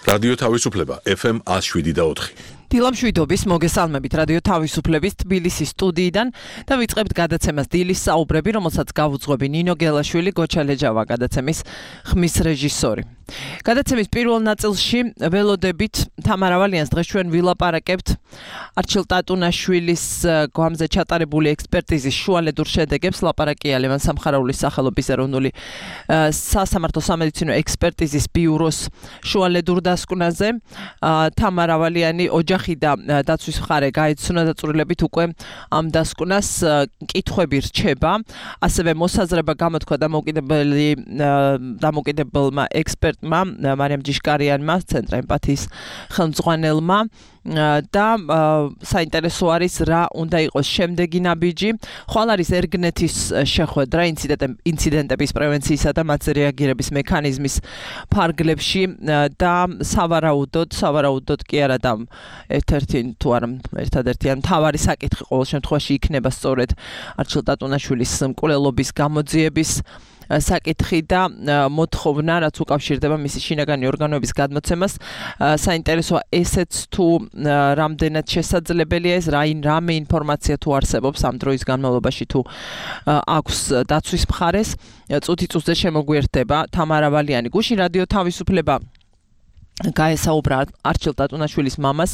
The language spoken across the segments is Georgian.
რადიო თავისუფლება FM 107.4. დილამშვიდობის მოგესალმებით რადიო თავისუფლების თბილისის სტუდიიდან და ვიწყებთ გადაცემას დილის საუბრები, რომელსაც გავუძღვები ნინო გელაშვილი, გოჩა ლეჯავა გადაცემის ხმის რეჟისორი. გადაცემის პირველ ნაწილში ველოდებით თამარ ავალიანს დღეს ჩვენ ვილაპარაკებთ არჩილ ტატუნაშვილის გვამზე ჩატარებული ექსპერტიზის შუალედურ შედეგებს. ლაპარაკია ლევან სამხარაულის სახელობის ეროვნული სასამართლო სამედიცინო ექსპერტიზის ბიუროს შუალედურ დასკვნაზე. თამარ ავალიანი ოჯახი და დაცვის მხარე გაეცნო დაწვრილებით უკვე ამ დასკვნას კითხვები რჩება. ასევე მოსაზრება გამოთქვა დამოუკიდებელმა ექსპერტმა მარიამ ჯიშკარიანმა, ცენტრ ემპათიის ხელმძღვანელმა და საინტერესო არის რა უნდა იყოს შემდეგი ნაბიჯი. ხვალ არის ერგნეთის შეხვედრა ინციდენტების პრევენციისა და მათზე რეაგირების მექანიზმის ფარგლებში და სავარაუდოდ კი არა და ერთადერთი მთავარი საკითხი ყოველ შემთხვევაში იქნება სწორედ არჩილ ტატუნაშვილის მკვლელობის გამოძიების საკითხი და მოთხოვნა, რაც უკავშირდება მისი შინაგანი ორგანოების გადმოცემას. საინტერესოა ესეც თუ რამდენად შესაძლებელია ეს, რამე ინფორმაცია თუ არსებობს ამ დროის განმავლობაში თუ აქვს დაცვის მხარეს. წუთი წუთზე შემოგვიერთდება თამარ ავალიანი. გუშინ რადიო თავისუფლება გაესაუბრა არჩილ ტატუნაშვილის მამას,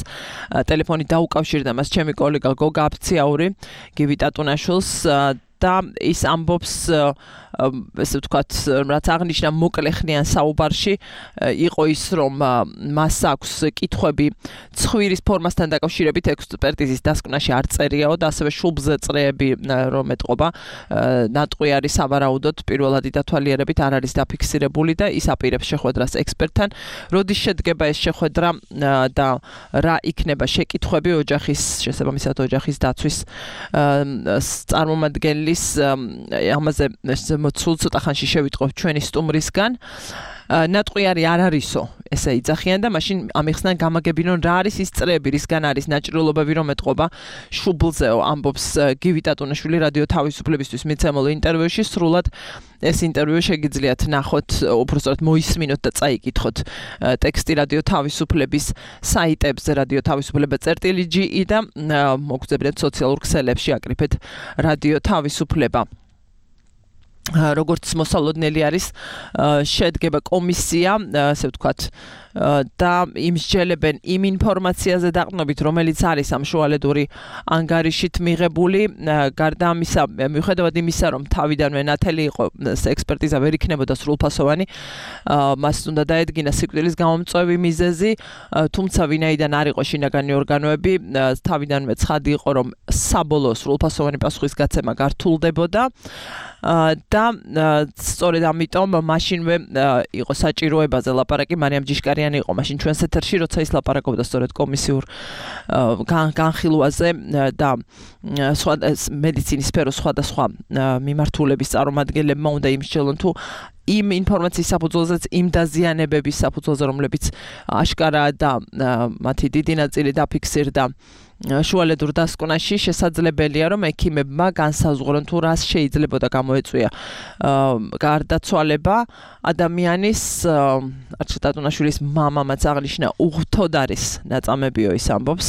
ტელეფონით დაუკავშირდა მას ჩემი კოლეგა გოგა აფციაური, გივი ტატუნაშვილს და ის ამბობს, ესე ვთქვათ, რაც აღნიშნა მოკლეხნიან საუბარში, იყო ის, რომ მას აქვს კითხვები ცხვირის ფორმასთან დაკავშირებით ექსპერტიზის დასკვნაში არ წერიაო და ასევე შუბლზე წრეები რომ ეტყობა, ნატყვი არის სავარაუდოდ პირველადი დათვალიერებით არ არის დაფიქსირებული და ის აპირებს შეხვედრას ექსპერტთან. როდის შედგება ეს შეხვედრა და რა იქნება შეკითხვები შესაბამისად ოჯახის დაცვის წარმომადგენლის ამაზე სულ ცოტა ხანში შევიტყობ ჩვენი სტუმრისგან. ნატყვი არ არისო, ესე იძახიან და მაშინ ამიხსნან გამაგებინონ რა არის ის წრეები, რისგან არის ნაწილობები რომ ეტყობა შუბლზეო, ამბობს გივი ტატუნაშვილი რადიო თავისუფლებისთვის მიცემულ ინტერვიუში. სრულად ეს ინტერვიუ შეგიძლიათ ნახოთ, უბრალოდ მოისმინოთ და წაიკითხოთ ტექსტი რადიო თავისუფლების საიტებზე რადიო თავისუფლება.ge და მოგძებნეთ სოციალურ ქსელებში აკრიფეთ რადიო თავისუფლება. როგორც მოსალოდნელი არის, შედგება კომისია, ასე ვთქვათ, და იმსჯელებენ იმ ინფორმაციაზე დაყრდნობით, რომელიც არის ამ შუალედური ანგარიშით მიღებული. გარდა ამისა, მიუხედავად იმისა, რომ თავიდანვე ნათელი იყო ექსპერტიზა ვერ იქნებოდა სრულფასოვანი, მას უნდა დაედგინა სიკვდილის გამომწვევი მიზეზი, თუმცა ვინაიდან არ იყო შინაგანი ორგანოები, თავიდანვე ცხადი იყო, რომ საბოლოო სრულფასოვანი პასუხისგაცემა გართულდებოდა. და სწორედ ამიტომ მაშინვე იყო საჭიროებაზე ლაპარაკი, მარიამ ჯიშკარიანი იყო მაშინ ჩვენს ეთერში, როცა ის ლაპარაკობდა სწორედ კომისიურ განხილვაზე და მედიცინის სფეროს სხვადასხვა მიმართულების წარმომადგენლებმა უნდა იმსჯელონ თუ იმ ინფორმაციის საფუძველზეც იმ დაზიანებების საფუძველზე, რომლებიც აშკარაა და მათი დიდი ნაწილი დაფიქსირდა შუალედურ დასკვნაში, შესაძლებელია რომ ექიმებმა განსაზღვრონ თუ რას შეიძლებოდა გამოეწვია გარდაცვალება ადამიანის. არჩილ ტატუნაშვილის მამამაც აღნიშნა უღთოდ არის ნაწამებიო, ის ამბობს,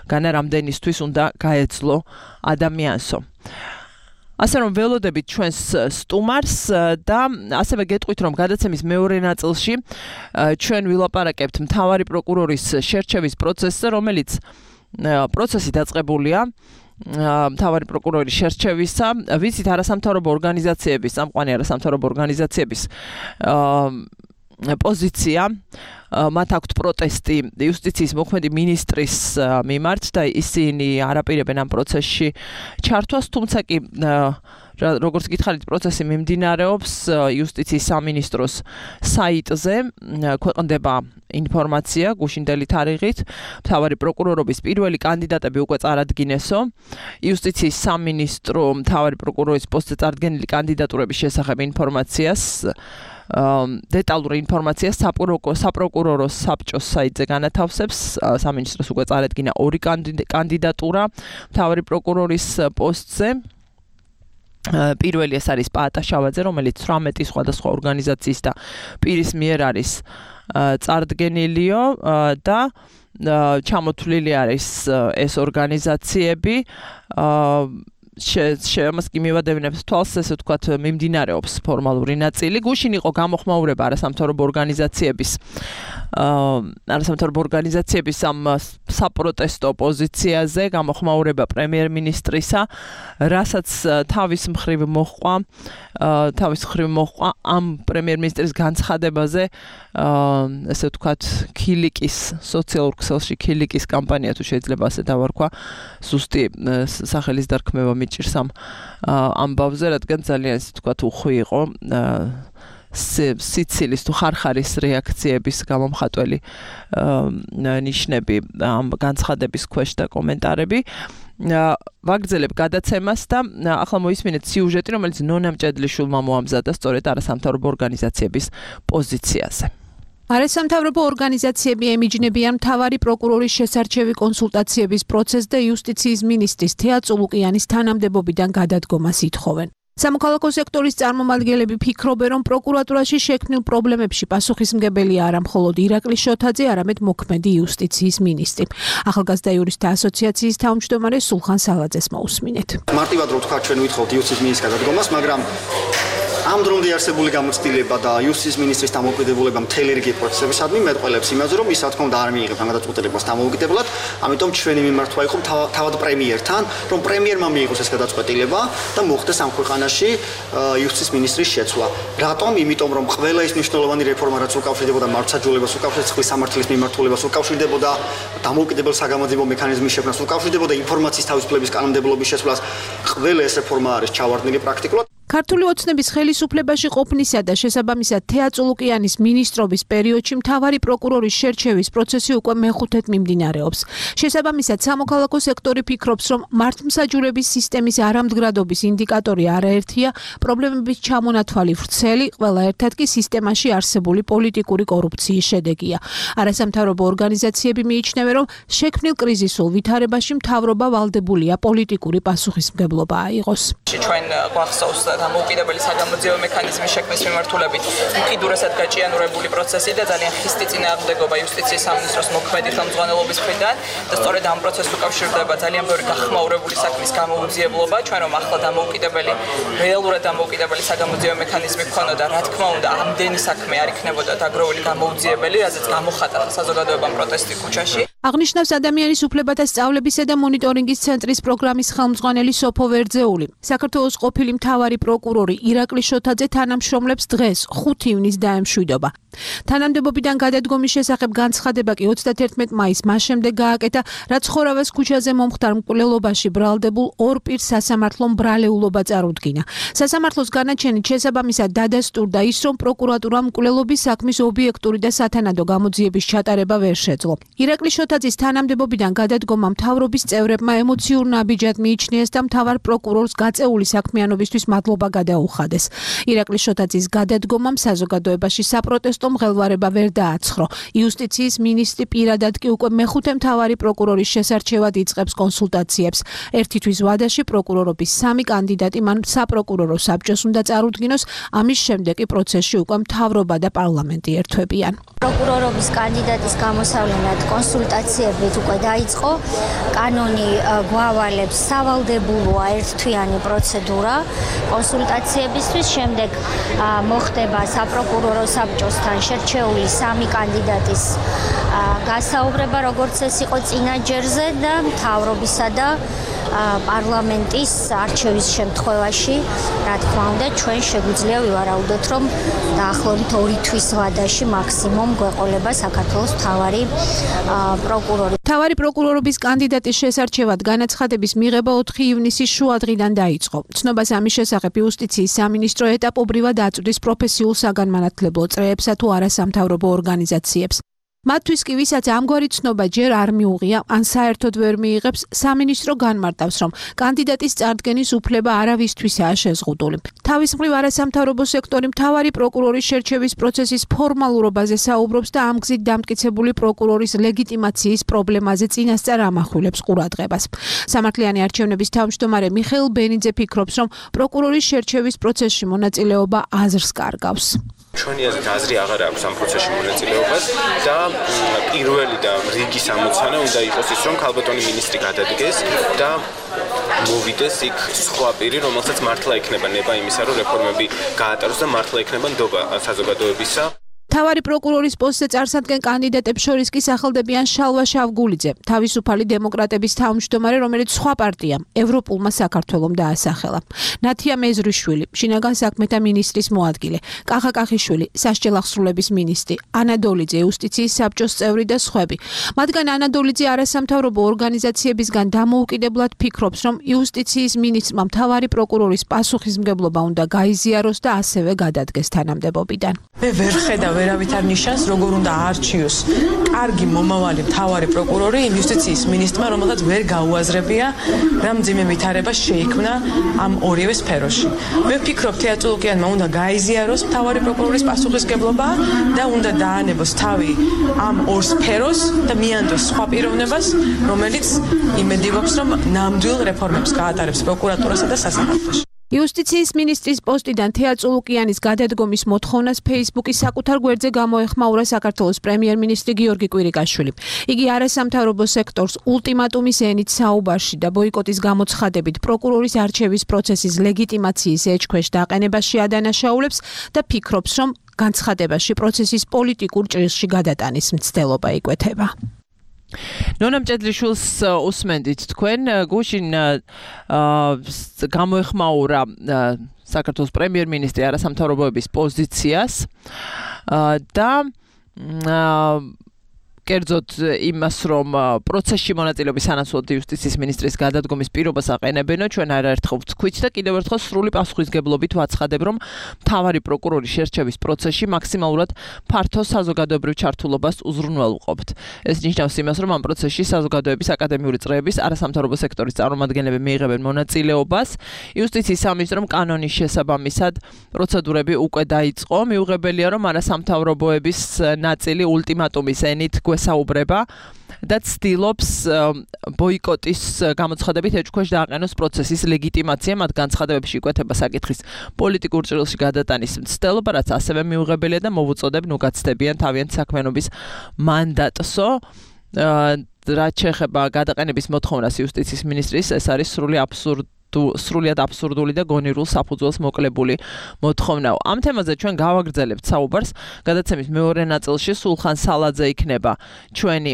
განა რამდენისთვის უნდა გაეძლო ადამიანსო. ასე რომ ველოდებით ჩვენს სტუმარს და ასევე გეტყვით, რომ გადაცემის მეორე ნაწილში ჩვენ ვილაპარაკებთ მთავარი პროკურორის შერჩევის პროცესზე, რომელიც პროცესი დაწყებულია მთავარი პროკურორის შერჩევისა. ვიცით, არასამთავრობო ორგანიზაციების, წამყვანი არასამთავრობო ორგანიზაციების პოზიცია, მათ აქვთ პროტესტი იუსტიციის მოქმედი მინისტრის მიმართ და ისინი არაპირებენ ამ პროცესში ჩართვას, თუმცა კი როგორც გითხარით, პროცესი მიმდინარეობს იუსტიციის სამინისტროს საიტზე, ქვეყნდება ინფორმაცია გუშინდელი თარიღით, მთავარი პროკურორობის პირველი კანდიდატები უკვე წარადგინესო. იუსტიციის სამინისტრო მთავარი პროკურორის პოსტზე წარდგენილი კანდიდატურების შესახებ ინფორმაციას დეტალური ინფორმაცია საპროკურორო საბჭოს საიტზე განათავსებს. სამინისტროს უკვე წარადგინა ორი კანდიდატურა მთავარი პროკურორის პოსტზე. პირველი ეს არის პაატა შავაძე, რომელიც 18 სხვადასხვა ორგანიზაციის და პირის მიერ არის წარდგენილიო და ჩამოთვლილი არის ეს ორგანიზაციები შემას კი მივადევნებს თვალს ესე ვთქვათ მიმდინარეობს ფორმალური ნაწილი გუშინ იყო გამოხმაურება არასამთავრობო ორგანიზაციების ამ საპროტესტო პოზიციაზე გამოხმაურება პრემიერ-მინისტრისა რასაც თავის მხრივ მოჰყვა ამ პრემიერ-მინისტრის განცხადებაზე ესე ვთქვათ ქილიკის სოციალურ ქსელში ქილიკის კამპანია თუ შეიძლება ასე დავარქვა ზუსტი სახელის დარქმევა მიჭირს ამ ამბავზე რადგან ძალიან ესე ვთქვათ უხვი იყო სიცილის თუ ხარხარის რეაქციების გამომხატველი ნიშნები ამ განცხადების ქვეშ და კომენტარები ვაგრძელებ გადაცემას და ახლა მოისმინეთ სიუჟეტი რომელიც ნონა მჭედლიშვილმა მოამზადა სწორედ არასამთავრობო ორგანიზაციების პოზიციაზე არასამთავრობო ორგანიზაციები ემიჯნებიან მთავარი პროკურორის შესარჩევი კონსულტაციების პროცესს და იუსტიციის მინისტრის თეა წულუკიანის თანამდებობიდან გადადგომას ითხოვენ. სამოქალაქო სექტორის წარმომადგენლები ფიქრობენ, რომ პროკურატურაში შექმნილ პრობლემებში პასუხისმგებელია არა მხოლოდ ირაკლი შოთაძე, არამედ მოქმედი იუსტიციის მინისტრი. ახალგაზრდა იურისტთა ასოციაციის თავმჯდომარე სულხან სალაძეს მოусმინეთ. მარტივად რო ვთქვა, ჩვენ ვითხოვთ იუსტიციის მინისტრის გადადგომას, მაგრამ ამ დრომდე არსებული გამოცდილება და იუსტიციის მინისტრის დამოუკიდებულება მთელი რიგი პროცესებისადმი მეტყველებს იმაზე, რომ ის რა თქმა უნდა არ მიიღებს ამ გადაწყვეტილებას დამოუკიდებლად, ამიტომ ჩვენი მიმართვა იყო თავად პრემიერთან, რომ პრემიერმა მიიღოს ეს გადაწყვეტილება და მოხდეს ამ ქვეყანაში იუსტიციის მინისტრის შეცვლა. რატომ? იმიტომ რომ ყველა ის მნიშვნელოვანი რეფორმა რაც უკავშირდებოდა მართლმსაჯულებას, უკავშირდებოდა წყლის სამართლის მიმართულებას, უკავშირდებოდა დამოუკიდებელ საგამოძიებო მექანიზმის შექმნას, უკავშირდებოდა ინფორმაციის თავისუფლების კანონმდებლობის შესრულებას, ყველა ეს რეფორმა არის ჩავარდნილი პრაქტიკულად. ქართული ოცნების ხელისუფლებაში ყოფნისა და შესაბამისად თეა წულუკიანის მინისტრობის პერიოდში მთავარი პროკურორის შერჩევის პროცესი უკვე მეხუთედ მიმდინარეობს. შესაბამისად სამოქალაქო სექტორი ფიქრობს, რომ მართლმსაჯულების სისტემის არამდგრადობის ინდიკატორი არაერთია, პრობლემების ჩამონათვალი ვრცელი, ყველა ერთად კი სისტემაში არსებული პოლიტიკური კორუფციის შედეგია. არასამთავრობო ორგანიზაციები მიიჩნევენ, რომ შექმნილ კრიზისულ ვითარებაში მთავრობა ვალდებულია პოლიტიკური პასუხისმგებლობა აიღოს. ჩვენ გვახსოვს დამოუკიდებელი საგამოძიებო მექანიზმის შექმნის მიმართულებით უკიდურესად გაჭიანურებული პროცესი და ძალიან ხისტი წინააღმდეგობა იუსტიციის სამინისტროს მოქმედი ხელმძღვანელობის მხრიდან და სწორედ ამ პროცესს უკავშირდება ძალიან ბევრი გახმაურებული საქმის გამოუძიებლობა ჩვენ რომ ახლა რეალურად დამოუკიდებელი საგამოძიებო მექანიზმი გქონოდა რა თქმა უნდა ამდენი საქმე არ იქნებოდა დაგროვილი გამოუძიებელი რაზეც გამოხატა საზოგადოებამ პროტესტი ქუჩაში აღნიშნავს ადამიანის უფლებათა სწავლებისა და მონიტორინგის ცენტრის პროგრამის ხელმძღვანელი სოფო ვერძეული. საქართველოს ყოფილი მთავარი პროკურორი ირაკლი შოთაძე თანამშრომლებს დღეს 5 ივნისს დაემშვიდობა. თანამდებობიდან გადადგომის შესახებ განცხადება კი 31 მაისს მას შემდეგ გააკეთა, რაც ხორავას ქუჩაზე მომხდარ მკვლელობაში ბრალდებულ ორ პირს სასამართლომ ბრალეულობა წარუდგინა. სასამართლოს განაჩენით შესაბამისად დადასტურდა ის, რომ პროკურატურამ მკვლელობის საქმის ობიექტური და სათანადო გამოძიების ჩატარება ვერ შეძლო. ირაკლი შოთაძის თანამდებობიდან გადადგომა მთავრობის წევრებმა ემოციურ ნაბიჯად მიიჩნიეს და მთავარ პროკურორს გაწეული საქმიანობისთვის მადლობა გადაუხადეს. ირაკლი შოთაძის გადადგომამ საზოგადოებაში საპროტესტო მღელვარება ვერ დააცხრო. იუსტიციის მინისტრი პირადად კი უკვე მეხუთე მთავარი პროკურორის შესარჩევად იწყებს კონსულტაციებს. ერთი თვის ვადაში პროკურორობის 3 კანდიდატი მან საპროკურორო საბჭოს უნდა წარუდგინოს, ამის შემდეგ კი პროცესში უკვე მთავრობა და პარლამენტი ერთვებიან. პროკურორობის კანდიდატის გამოსავლენად კონსულტაციებით უკვე დაიწყო. კანონი გვავალებს სავალდებულოა ერთთვიანი პროცედურა კონსულტაციებისთვის, შემდეგ მოხდება საპროკურორო საბჭოსთან შერჩეული 3 კანდიდატის გასაუბრება, როგორც ეს იყო წინა ჯერზე და მთავრობისა და პარლამენტის არჩევის შემთხვევაში, რა თქმა უნდა, ჩვენ შეგვიძლია ვივარაუდოთ, რომ დაახლოებით 2 თვის ვადაში მაქსიმუმ გვეყოლება საქართველოს მთავარი პროკურორი. მთავარი პროკურორობის კანდიდატის შესარჩევად განაცხადების მიღება 4 ივნისის შუადღიდან დაიწყო. ცნობას ამის შესახებ იუსტიციის სამინისტრო ეტაპობრივად აწვდის პროფესიულ საგანმანათლებლო წრეებსა თუ არასამთავრობო ორგანიზაციებს. მათთვის კი ვისაც ამგვარი ცნობა ჯერ არ მიუღია, ან საერთოდ ვერ მიიღებს, სამინისტრო განმარტავს, რომ კანდიდატის წარდგენის უფლება არავისთვისაა შეზღუდული. თავის მხრივ არასამთავრობო სექტორი მთავარი პროკურორის შერჩევის პროცესის ფორმალურობაზე საუბრობს და ამ გზით დამტკიცებული პროკურორის ლეგიტიმაციის პრობლემაზე წინასწარ ამახვილებს ყურადღებას. სამართლიანი არჩევნების თავმჯდომარე მიხეილ ბენიძე ფიქრობს, რომ პროკურორის შერჩევის პროცესში მონაწილეობა აზრს კარგავს. ჩვენი აზრით აზრი აღარ აქვს ამ პროცესში მონაწილეობას და პირველი და რიგის ამოცანა უნდა იყოს ის, რომ ქალბატონი მინისტრი გადადგეს და მოვიდეს იქ სხვა პირი, რომელსაც მართლა ექნება ნება იმისა, რომ რეფორმები გაატაროს და მართლა ექნება ნდობა საზოგადოებისა. თავარი პროკურორის პოსტზე წარსადგენ კანდიდატებს შორის კი სახელდებიან შალვა შავგულიძე, თავისუფალი დემოკრატების თავმჯდომარე, რომელიც სხვა პარტიამ, ევროპულმა საქართველომ დაასახელა. ნათია მეზრიშვილი, შინაგან საქმეთა მინისტრის მოადგილე, კახა კახიშვილი, სასჯელ აღსრულების მინისტრი, ანა დოლიძე, იუსტიციის საბჭოს წევრი და სხვები. მათგან ანა დოლიძე არასამთავრობო ორგანიზაციებისგან დამოუკიდებლად ფიქრობს, რომ იუსტიციის მინისტრმა მთავარი პროკურორის პასუხისმგებლობა უნდა გაიზიაროს და ასევე გადადგეს თანამდებობიდან. მე ვერ ხედავ ვერავითარ ნიშანს, როგორ უნდა აარჩიოს კარგი მომავალი მთავარი პროკურორი იმ იუსტიციის მინისტრმა, რომელსაც ვერ გაუაზრებია რა მძიმე ვითარება შეიქმნა ამ ორივე სფეროში. მე ვფიქრობ, თეატრულუკიანმა უნდა გაიზიაროს მთავარი პროკურორის პასუხისმგებლობა და უნდა დაანებოს თავი ამ ორ სფეროს და მიანდოს სხვა პიროვნებას, რომელიც იმედივობს, რომ ნამდვილ რეფორმებს გაატარებს პროკურატურასა და სასამართლოში. იუსტიციის მინისტრის პოსტიდან თეატრულუკიანის გადადგომის მოთხოვნას Facebook-ის საკუთარ გვერდზე გამოეხმაურა საქართველოს პრემიერ-მინისტრი გიორგი კვირიკაშვილი. იგი არასამთავრობო სექტორს ულტიმატუმის ენით საუბარში და ბოიკოტის გამოცხადებით პროკურორის არჩევის პროცესის ლეგიტიმაციის ეჭქვეშ დაყენებაში ადანაშაულებს და ფიქრობს, რომ განცხადებაში პროცესის პოლიტიკურ ჭრილში გადატანის მცდელობა იკვეთება. ნონა მჭედლიშვილს უსმენდით თქვენ გუშინ გამოეხმაურა საქართველოს პრემიერ-მინისტრი არასამთავრობოების პოზიციას და კერძოდ იმას, რომ პროცესში მონაწილეობის სანაცვლოდ იუსტიციის მინისტრის გადადგომის პირობას აყენებენო, ჩვენ არაერთხელ ვთქვით და კიდევ ერთხელ სრული პასუხისგებლობით ვაცხადებ, რომ მთავარი პროკურორის შერჩევის პროცესში მაქსიმალურად ფართო საზოგადოებრივ ჩართულობას უზრუნველყოფთ. ეს ნიშნავს იმას, რომ ამ პროცესში საზოგადოების აკადემიური წრეების არასამთავრობო სექტორის წარმომადგენლები მიიღებენ მონაწილეობას. იუსტიციის სამინისტრომ კანონის შესაბამისად პროცედურები უკვე დაიწყო. მიუღებელია, რომ არასამთავრობოების ნაწილი ულტიმატუმის ენით საუბრება და ცდილობს ბოიკოტის გამოცხადებით ეჭქვეშ დააყენოს პროცესის ლეგიტიმაცია, მათ განცხადებებში იკვეთება საკითხის პოლიტიკურ ჭრილში გადატანის მცდელობა, რაც ასევე მიუღებელია და მოვუწოდებ ნუ გაცდებიან თავიანთი საქმიანობის მანდატსო. რაც შეეხება გადაყენების მოთხოვნას იუსტიციის მინისტრის, ეს არის სრულიად აბსურდული და გონივრულ საფუძველს მოკლებული მოთხოვნაო. ამ თემაზე ჩვენ გავაგრძელებთ საუბარს. გადაცემის მეორე ნაწილში სულხან სალაძე იქნება ჩვენი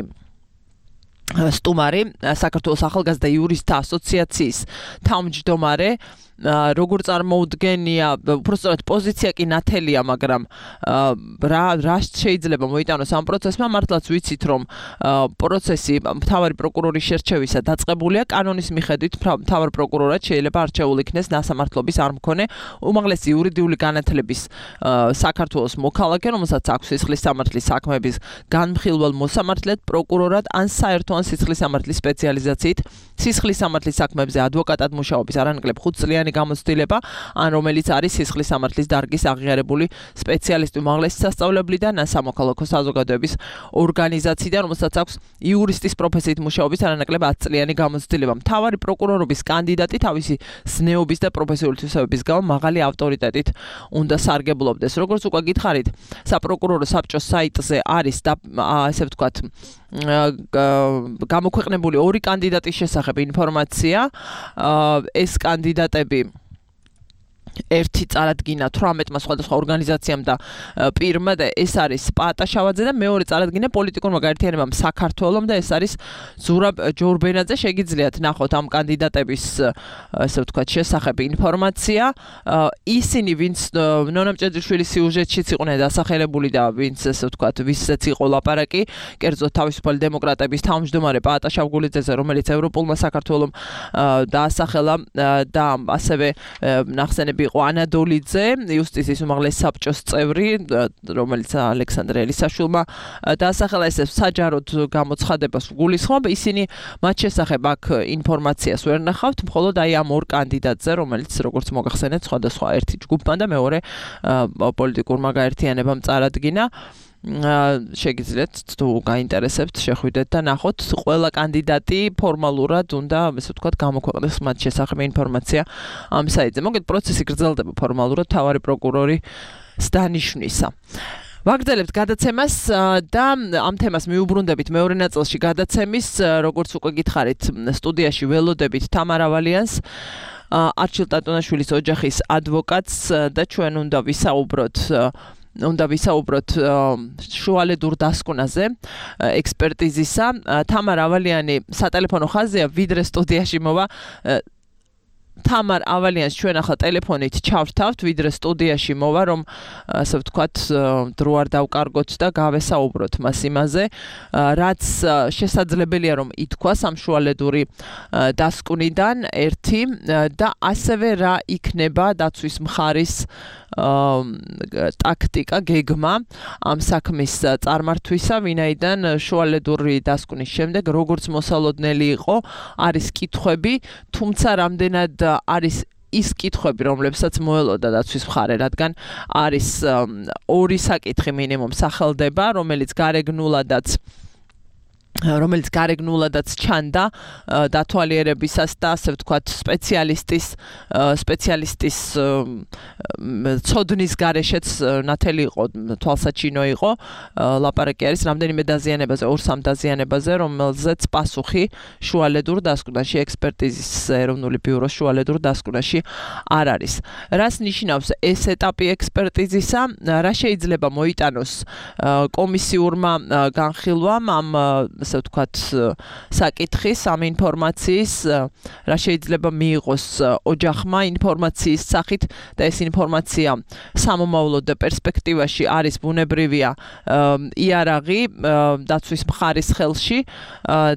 სტუმარი, საქართველოს ახალგაზრდა იურისტთა ასოციაციის თავმჯდომარე. როგორ წარმოუდგენია, უბრალოდ პოზიცია კი ნათელია, მაგრამ რა შეიძლება მოიტანოს ამ პროცესმა, მართლაც ვიცით, რომ პროცესი მთავარი პროკურორის შერჩევისა დაწყებულია კანონის მიხედვით, მთავარ პროკურორად შეიძლება არჩეულ იქნეს ნასამართლობის არ მქონე უმაღლესი იურიდიული განათლების საქართველოს მოქალაქე, რომელსაც აქვს სისხლის სამართლის საქმეების განმხილველ მოსამართლედ პროკურორად ან საერთო ან სისხლის სამართლის სპეციალიზაციით სისხლის სამართლის საქმეებზე ადვოკატად მუშაობის არანაკლებ 5 წლიანი გამოცდილება, ან რომელიც არის სისხლის სამართლის დარგის აღიარებული სპეციალისტი უმაღლესი სასწავლებლიდან ან სამოქალაქო საზოგადოების ორგანიზაციიდან, რომელსაც აქვს იურისტის პროფესიით მუშაობის არანაკლებ 10 წლიანი გამოცდილება. მთავარი პროკურორობის კანდიდატი თავისი ზნეობის და პროფესიული თვისებების გამო მაღალი ავტორიტეტით უნდა სარგებლობდეს. როგორც უკვე გითხარით, საპროკურორო საბჭოს საიტზე არის ესე ვთქვათ გამოქვეყნებული ორი კანდიდატის შესახებ ინფორმაცია. ეს კანდიდატები ერთი წარადგინა 18-მა სხვადასხვა ორგანიზაციამ და პირმა და ეს არის პაატა შავაძე და მეორე წარადგინა პოლიტიკურმა გაერთიანებამ საქართველოს და ეს არის ზურაბ ჯორბენაძე. შეგიძლიათ ნახოთ ამ კანდიდატების ესე ვთქვათ შესახებ ინფორმაცია. ისინი ვინც ნონა მჭედლიშვილის სიუჟეტშიც იყვნენ დასახელებული და ვინც ესე ვთქვათ ვისაც იყო ლაპარაკი, კერძოდ თავისუფალი დემოკრატების თავმჯდომარე პაატა შავგულიძეზე, რომელიც ევროპულმა საქართველოს დაასახელა და ასევე ნახსენები იყო ანა დოლიძე, იუსტიციის უმაღლესი საბჭოს წევრი, რომელიც ალექსანდრე ელისაშვილმა დაასახელა. ეს საჯაროდ გამოცხადებას გულისხმობ. ისინი მათ შესახებ აქ ინფორმაციას ვერ ნახავთ, მხოლოდ აი ამ ორ კანდიდატზე, რომელიც როგორც მოგახსენეთ, სხვადასხვა ერთი ჯგუფმა და მეორე პოლიტიკურმა გაერთიანებამ წარადგინა. შეგიძლიათ თუ გაინტერესებთ შეხვიდეთ და ნახოთ ყველა კანდიდატი ფორმალურად უნდა ესე ვთქვათ გამოქვეყნდეს მათ შესახებ ინფორმაცია ამ საიტზე. მოგეთ პროცესი გრძელდება ფორმალურად თავარი პროკურორის დანიშვნისა. ვაგრძელებთ გადაცემას და ამ თემას მიუბრუნდებით მეორე ნაწილში გადაცემის, როგორც უკვე გითხარით, სტუდიაში ველოდებით თამარ ავალიანს, არჩილ ტატონაშვილის ოჯახის ადვოკატს და ჩვენ უნდა ვისაუბროთ შუალედურ დასკვნაზე ექსპერტიზისა. თამარ ავალიანი სატელეფონო ხაზია, ვიდრე სტუდიაში მოვა. თამარ ავალიანს ჩვენ ახლა ტელეფონით ჩავრთავთ, ვიდრე სტუდიაში მოვა, რომ ასე ვთქვათ, დრო არ დავკარგოთ და გავესაუბროთ მას იმაზე, რაც შესაძლებელია რომ ითქვას ამ შუალედური დასკვნიდან ერთი და ასევე რა იქნება დაცვის მხარის ტაქტიკა, გეგმა ამ საქმის წარმართვისა, ვინაიდან შუალედური დასკვნის შემდეგ როგორც მოსალოდნელი იყო, არის კითხვები, თუმცა რამდენად არის ის კითხვები, რომლებსაც მოელოდა დაცვის მხარე, რადგან არის ორი საკითხი მინიმუმ სახელდება, რომელიც გარეგნულადაც ჩანდა დათვალიერებისას და ასე ვთქვათ სპეციალისტის ცოდნის გარეშეც ნათელი იყო, თვალსაჩინო იყო. ლაპარაკი არის რამდენიმე დაზიანებაზე, 2-3 დაზიანებაზე, რომელზეც პასუხი შუალედურ დასკვნაში, ექსპერტიზის ეროვნული ბიუროს შუალედურ დასკვნაში არ არის. რას ნიშნავს ეს ეტაპი ექსპერტიზისა? რა შეიძლება მოიტანოს კომისიურმა განხილვამ ამ ასე ვთქვათ საკითხის, ამ ინფორმაციის, რა შეიძლება მიიღოს ოჯახმა ინფორმაციის სახით და ეს ინფორმაცია სამომავლოდ და პერსპექტივაში არის ბუნებრივია იარაღი დაცვის მხარის ხელში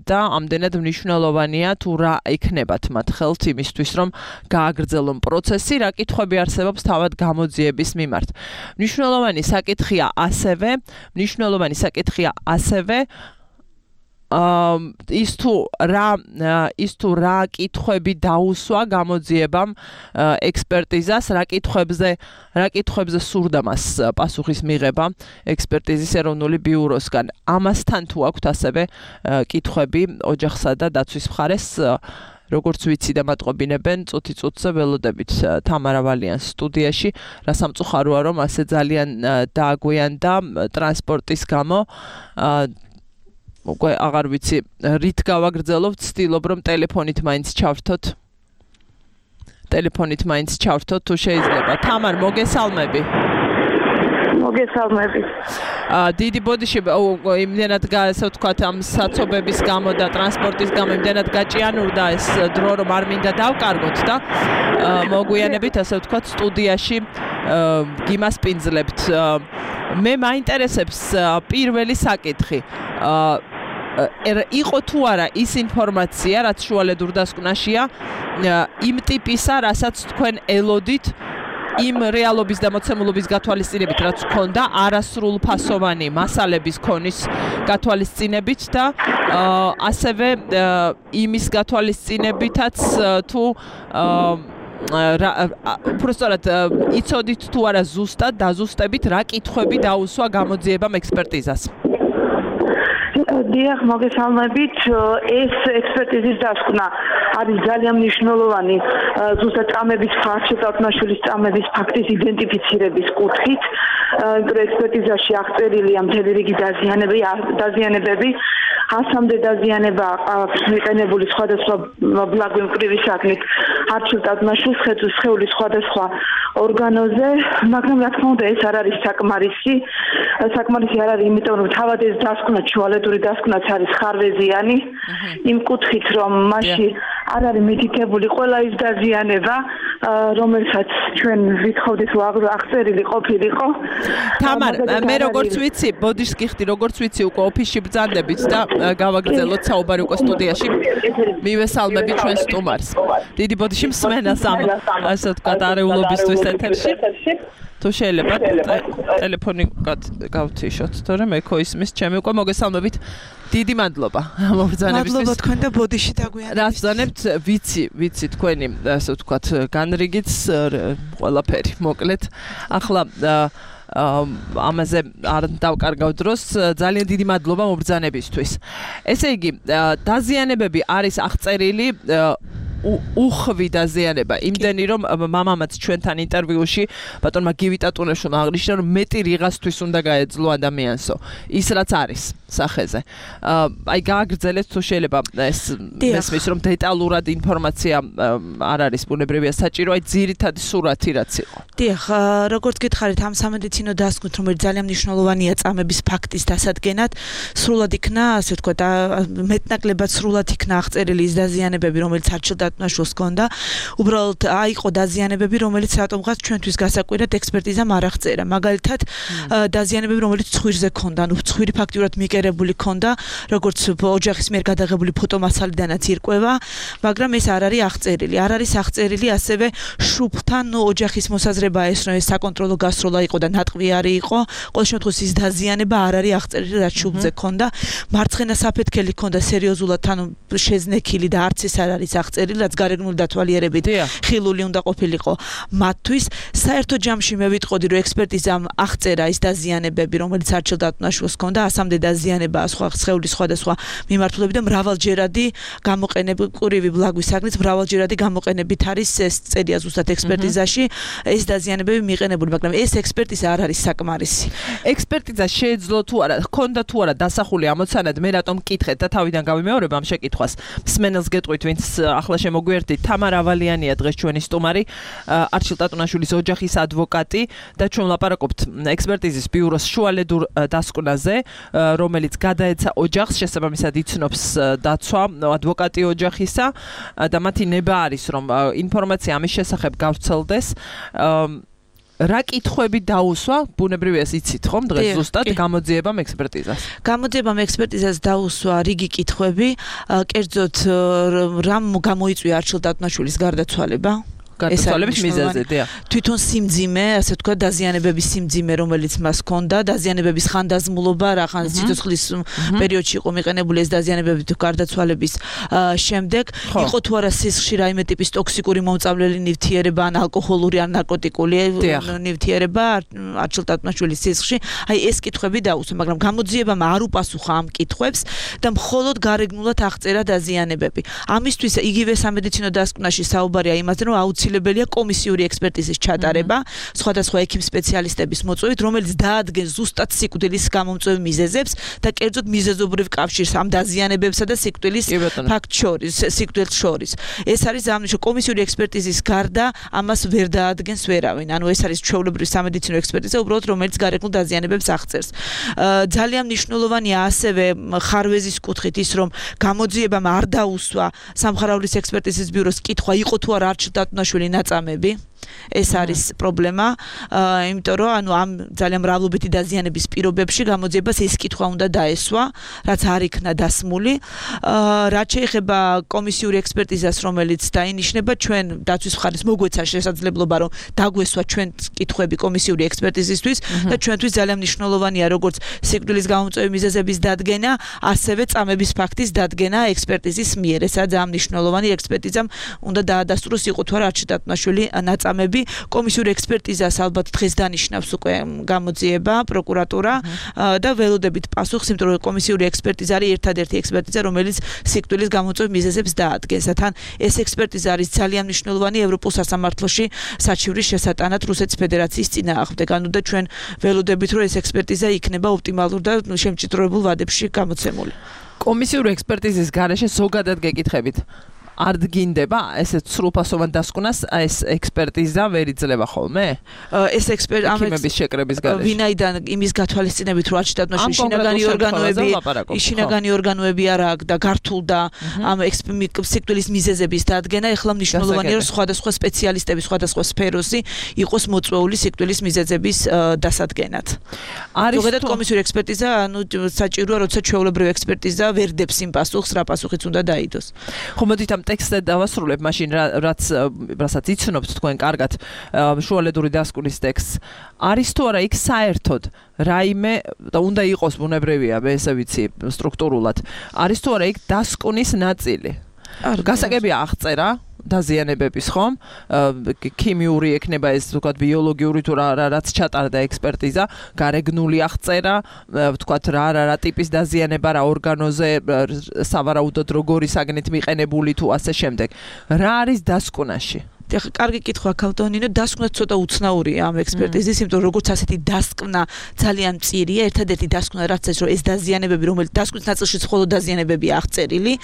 და ამდენად მნიშვნელოვანია თუ რა იქნებათ მათ ხელთ იმისთვის, რომ გააგრძელონ პროცესი, რა კითხვები არსებობს თავად გამოძიების მიმართ. მნიშვნელოვანი საკითხია ასევე ის თუ რა კითხვები დაუსვა გამოძიებამ ექსპერტიზას, რა კითხვებზე სურდა მას პასუხის მიღება ექსპერტიზის ეროვნული ბიუროსგან. ამასთან თუ აქვთ ასევე კითხვები ოჯახსა და დაცვის მხარეს, როგორც ვიცი და მატყობინებენ, წუთი-წუთზე ველოდებით თამარ ავალიანს სტუდიაში, რა სამწუხაროა, რომ ასე ძალიან დააგვიანდა ტრანსპორტის გამო. უკვე აღარ ვიცი რით გავაგრძელოთ, ვცდილობ რომ ტელეფონით მაინც ჩავრთოთ თუ შეიძლება. თამარ, მოგესალმები. დიდი ბოდიში იმდენად ასე ვთქვათ ამ საცობების გამო და ტრანსპორტის გამო იმდენად გაჭიანურდა ეს დრო, რომ არ მინდა დავკარგოთ და მოგვიანებით ასე ვთქვათ სტუდიაში გიმასპინძლებთ. მე მაინტერესებს პირველი საკითხი. იყო თუ არა ის ინფორმაცია, რაც შუალედურ დასკვნაშია, იმ ტიპისა, რასაც თქვენ ელოდით იმ რეალობის და მოცემულობის გათვალისწინებით, რაც ჰქონდა არასრულფასოვანი მასალების ქონის გათვალისწინებით და ასევე იმის გათვალისწინებითაც თუ უბრალოდ იცოდით თუ არა ზუსტად დაზუსტებით რა კითხვები დაუსვა გამოძიებამ ექსპერტიზას. დიახ, მოგესალმებით. ეს ექსპერტიზის დასკვნა არის ძალიან მნიშვნელოვანი ზუსტად წამების არჩილ-ტატონაშვილის წამების ფაქტის იდენტიფიცირების კუთხით. ექსპერტიზაში აღწერილია მთელი რიგი დაზიანებები, 100-მდე დაზიანება მიყენებული სხვადასხვა ბლაგვი მკვრივი საქმით არჩილ-ტატონაშვილის სხეულის სხვადასხვა ორგანოზე, მაგრამ რა თქმა უნდა ეს არ არის საკმარისი არ არის, იმიტომ რომ თავად ეს დასკვნა შუალედური დასკვნაც არის ხარვეზიანი, იმ კუთხით რომ მასში არ არის მითითებული ყველა ის დაზიანება, რომელსაც ჩვენ ვითხოვდით აღწერილი ყოფილიყო. თამარ, მე როგორც ვიცი, ბოდიშს გიხდი, როგორც ვიცი, უკვე ოფისში ბრძანდებით და გავაგრძელოთ საუბარი უკვე სტუდიაში. მივესალმები ჩვენ სტუმარს. დიდი ბოდიში მსმენას ამ ასე ვთქვათ არეულობისთვის ეთერში. თუ შეიძლება ტელეფონი გავთიშოთ, თორემ ეკო ისმის ჩემი უკვე მოგესალმებით. დიდი მადლობა მოგზანებისთვის. მადლობა თქვენ და ბოდიში დაგვიანებით. რა ვზანებთ, ვიცი თქვენი ასე ვთქვათ განრიგიც ყველაფერი მოკლედ. ახლა ამაზე არ დავკარგავ დროს ძალიან დიდი მადლობა მობრძანებისთვის. ესე იგი, დაზიანებები არის აღწერილი უხვი დაზიანება. იმდენი რომ მამამაც ჩვენთან ინტერვიუში ბატონმა გივიტატუნეშვილმა აღნიშნა რომ მეტი რიღასთვის უნდა გაეძლო ადამიანსო. ის რაც არის სახეზე. აი გააგრძელეთ თუ შეიძლება ეს მესმის რომ დეტალურად ინფორმაცია არ არის ბუნებრივია საჭირო, აი ძირითადი სურათი რაც იყო. დიახ, როგორც გითხარით ამ სამედიცინო დასკვნით რომელიც ძალიან მნიშვნელოვანია წამების ფაქტის დასადგენად, სრულად იქნა, ასე ვთქვათ, მეტნაკლებად სრულად იქნა აღწერილი ის დაზიანებები, რომელიც არჩილდატუნაშვილს ჰქონდა. უბრალოდ აიყო დაზიანებები, რომელიც რატომღაც ჩვენთვის გასაკვირად ექსპერტიზამ არ აღწერა. მაგალითად, დაზიანებები, რომელიც ცხვირზე ჰქონდა, ანუ ცხვირი ფაქტიურად მიკერებული ჰქონდა, როგორც ოჯახის მიერ გადაღებული ფოტომასალიდანაც ირკვევა, მაგრამ ეს არ არის აღწერილი. არ არის აღწერილი ასევე შუბლთან ოჯახის მოსაზრებაა ეს, რომ ეს საკონტროლო გასროლა იყო და ნატყვი არის იყო. ყოველ შემთხვევაში ის დაზიანება არ არის აღწერილი, რაც შუბლზე ჰქონდა. მარცხენა საფეთქელი ჰქონდა სერიოზულად, ანუ შეზნექილი და არც ეს არ არის აღწერილი, რაც გარეგნული დათვალიერებით ხილული უნდა ყოფილიყო მათთვის. საერთო ჯამში მე ვიტყოდი, რომ ექსპერტიზამ აღწერა ის დაზიანებები, რომელიც არჩილდატუნაშვილს ჰქონდა, ასამდე დაზიანებაა სხვა სხეულის სხვადასხვა მიმართულებით და მრავალჯერადი გამოყენებული ყურივი ბლაგვის საგნით მრავალჯერადი გამოყენებით არის ეს წერია ზუსტად ექსპერტიზაში ეს დაზიანებები მიყენებული, მაგრამ ეს ექსპერტიზა არ არის საკმარისი. ექსპერტიზა შეეძლო თუ არა, ჰქონდა თუ არა დასახული ამოცანად, მე რატომ მკითხეთ და თავიდან გავიმეორებ ამ შეკითხვას. მსმენელს გეტყვით, ვინც ახლა შემოგვიერთდით, თამარ ავალიანია დღეს ჩვენი სტუმარი, არჩილდატუნაშვილის ოჯახის ადვოკატი და ჩვენ ვლაპარაკობთ ექსპერტიზის ბიუროს შუალედურ დასკვნაზე, რომელიც გადაეცა ოჯახს, შესაბამისად იცნობს დაცვა ადვოკატი ოჯახისა და მათი ნება არის რომ ინფორმაცია ამის შესახებ გავრცელდეს. რა კითხვები დაუსვა, ბუნებრივია იცით ხომ დღეს ზუსტად გამოძიებამ ექსპერტიზას. გამოძიებამ ექსპერტიზას დაუსვა რიგი კითხვები, კერძოდ რამ გამოიწვია არჩილდატუნაშვილის გარდაცვალება? გარდაცვალების მიზეზი, დიახ. თვითონ სიმძიმე, ასე ვთქვათ, დაზიანებების სიმძიმე, რომელიც მას ჰქონდა, დაზიანებების ხანდაზმულობა, რახან სიცოცხლის პერიოდში იყო მიყენებული ეს დაზიანებები თუ გარდაცვალების შემდეგ, იყო თუ არა სისხლში რაიმე ტიპის ტოქსიკური მომწავლელი ნივთიერება, ან ალკოჰოლური, ან ნარკოტიკული ნივთიერება არჩილდატუნაშვილის სისხლში. აი ეს კითხვები დაუსვა, მაგრამ გამოძიებამ არ უპასუხა ამ კითხვებს და მხოლოდ გარეგნულად აღწერა დაზიანებები. ამისთვის იგივე სამედიცინო დასკვნაში საუბარია იმაზე, რომ აუცილებელია კომისიური ექსპერტიზის ჩატარება სხვადასხვა ექიმ სპეციალისტების მოწვევით, რომელიც დაადგენს ზუსტად სიკვდილის გამომწვევ მიზეზებს და კერძოდ მიზეზობრივ კავშირს ამ დაზიანებებსა და სიკვდილის ფაქტს შორის. ეს არის ამნიშნული კომისიური ექსპერტიზის გარდა ამას ვერ დაადგენს ვერავინ. ანუ ეს არის ჩვეულებრივი სამედიცინო ექსპერტიზა, უბრალოდ რომელიც გარეგნულ დაზიანებებს აღწერს. ძალიან მნიშვნელოვანია ასევე ხარვეზის კუთხით ის, რომ გამოძიებამ არ დაუსვა სამხარაულის ექსპერტიზის ბიუროს კითხვა, იყო თუ არა არჩილდატუნაშვილი ნაწამები. ეს არის პრობლემა, იმიტომ რომ ანუ ამ ძალიან მრავლობითი დაზიანების პირობებში გამოძიებას ეს კითხვა უნდა დაესვა, რაც არ იქნა დასმული. რაც შეეხება კომისიური ექსპერტიზას, რომელიც დაინიშნება, ჩვენ დაცვის მხარეს მოგვეცა შესაძლებლობა, რომ დაგვესვა ჩვენ კითხვები კომისიური ექსპერტიზისთვის და ჩვენთვის ძალიან მნიშვნელოვანია როგორც სიკვდილის გამომწვევი მიზეზების დადგენა, ასევე წამების ფაქტის დადგენა ექსპერტიზის მიერ. ესაა ძალიან მნიშვნელოვანი, ექსპერტიზამ უნდა დაადასტუროს, იყო თუ არა არჩილდატუნაშვილი ნაწამები. კომისიური ექსპერტიზას ალბათ დღეს დანიშნავს უკვე გამოძიება, პროკურატურა და ველოდებით პასუხს, იმიტომ რომ კომისიური ექსპერტიზა არის ერთადერთი ექსპერტიზა, რომელიც სიკვდილის გამომწვევ მიზეზებს დაადგენს. თან ეს ექსპერტიზა არის ძალიან მნიშვნელოვანი ევროპულ სასამართლოში საჩივრის შესატანად რუსეთის ფედერაციის წინააღმდეგ. ანუ და ჩვენ ველოდებით რომ ეს ექსპერტიზა იქნება ოპტიმალურ და შემჭიდროებულ ვადებში გამოცემული. კომისიური ექსპერტიზის გარეშე ზოგადად გეკითხებით. არ დგინდება ესეთ სრულფასოვან დასკვნას ეს ექსპერტიზა ვერ იძლევა ხოლმე? ეს ექიმების შეკრების გარეშე. ვინაიდან იმის გათვალისწინებით რომ არჩილდატუნაშვილის შინაგანი ორგანოები არ აქვს და გართულდა ამ სიკვდილის მიზეზების დადგენა, ეხლა მნიშვნელოვანია რომ სხვადასხვა სპეციალისტები სხვადასხვა სფეროში იყოს მოწვეული სიკვდილის მიზეზების დასადგენად. ზოგადად კომისიური ექსპერტიზა, ანუ საჭიროა, როცა ჩვეულებრივი ექსპერტიზა ვერ დებს იმ პასუხს, რა პასუხიც უნდა დაიდოს. ხო, მოდით ამ ტექსტზე დავასრულებ, მაშინ რასაც იცნობთ თქვენ კარგად შუალედური დასკვნის ტექსტს. არის თუ არა იქ საერთოდ რაიმე და უნდა იყოს ბუნებრივია, მე ესე ვიცი სტრუქტურულად. არის თუ არა იქ დასკვნის ნაწილი? გასაგებია აღწერა დაზიანებების ხომ? ქიმიური ექნება ეს ვთქვათ ბიოლოგიური თუ რაც ჩატარდა ექსპერტიზა, გარეგნული აღწერა, ვთქვათ რა ტიპის დაზიანება რა ორგანოზე სავარაუდოდ როგორი საგნით მიყენებული თუ ასე შემდეგ. რა არის დასკვნაში? ეხლა კარგი კითხვა ქალტონინო, დასკვნა ცოტა უცნაურია ამ ექსპერტიზის, იმიტომ რომ როგორც ასეთი დასკვნა ძალიან მწირია, ერთადერთი დასკვნა რაც ეს რომ ეს დაზიანებები, რომელიც დასკვნის ნაწილშიც მხოლოდ დაზიანებები აღწერილი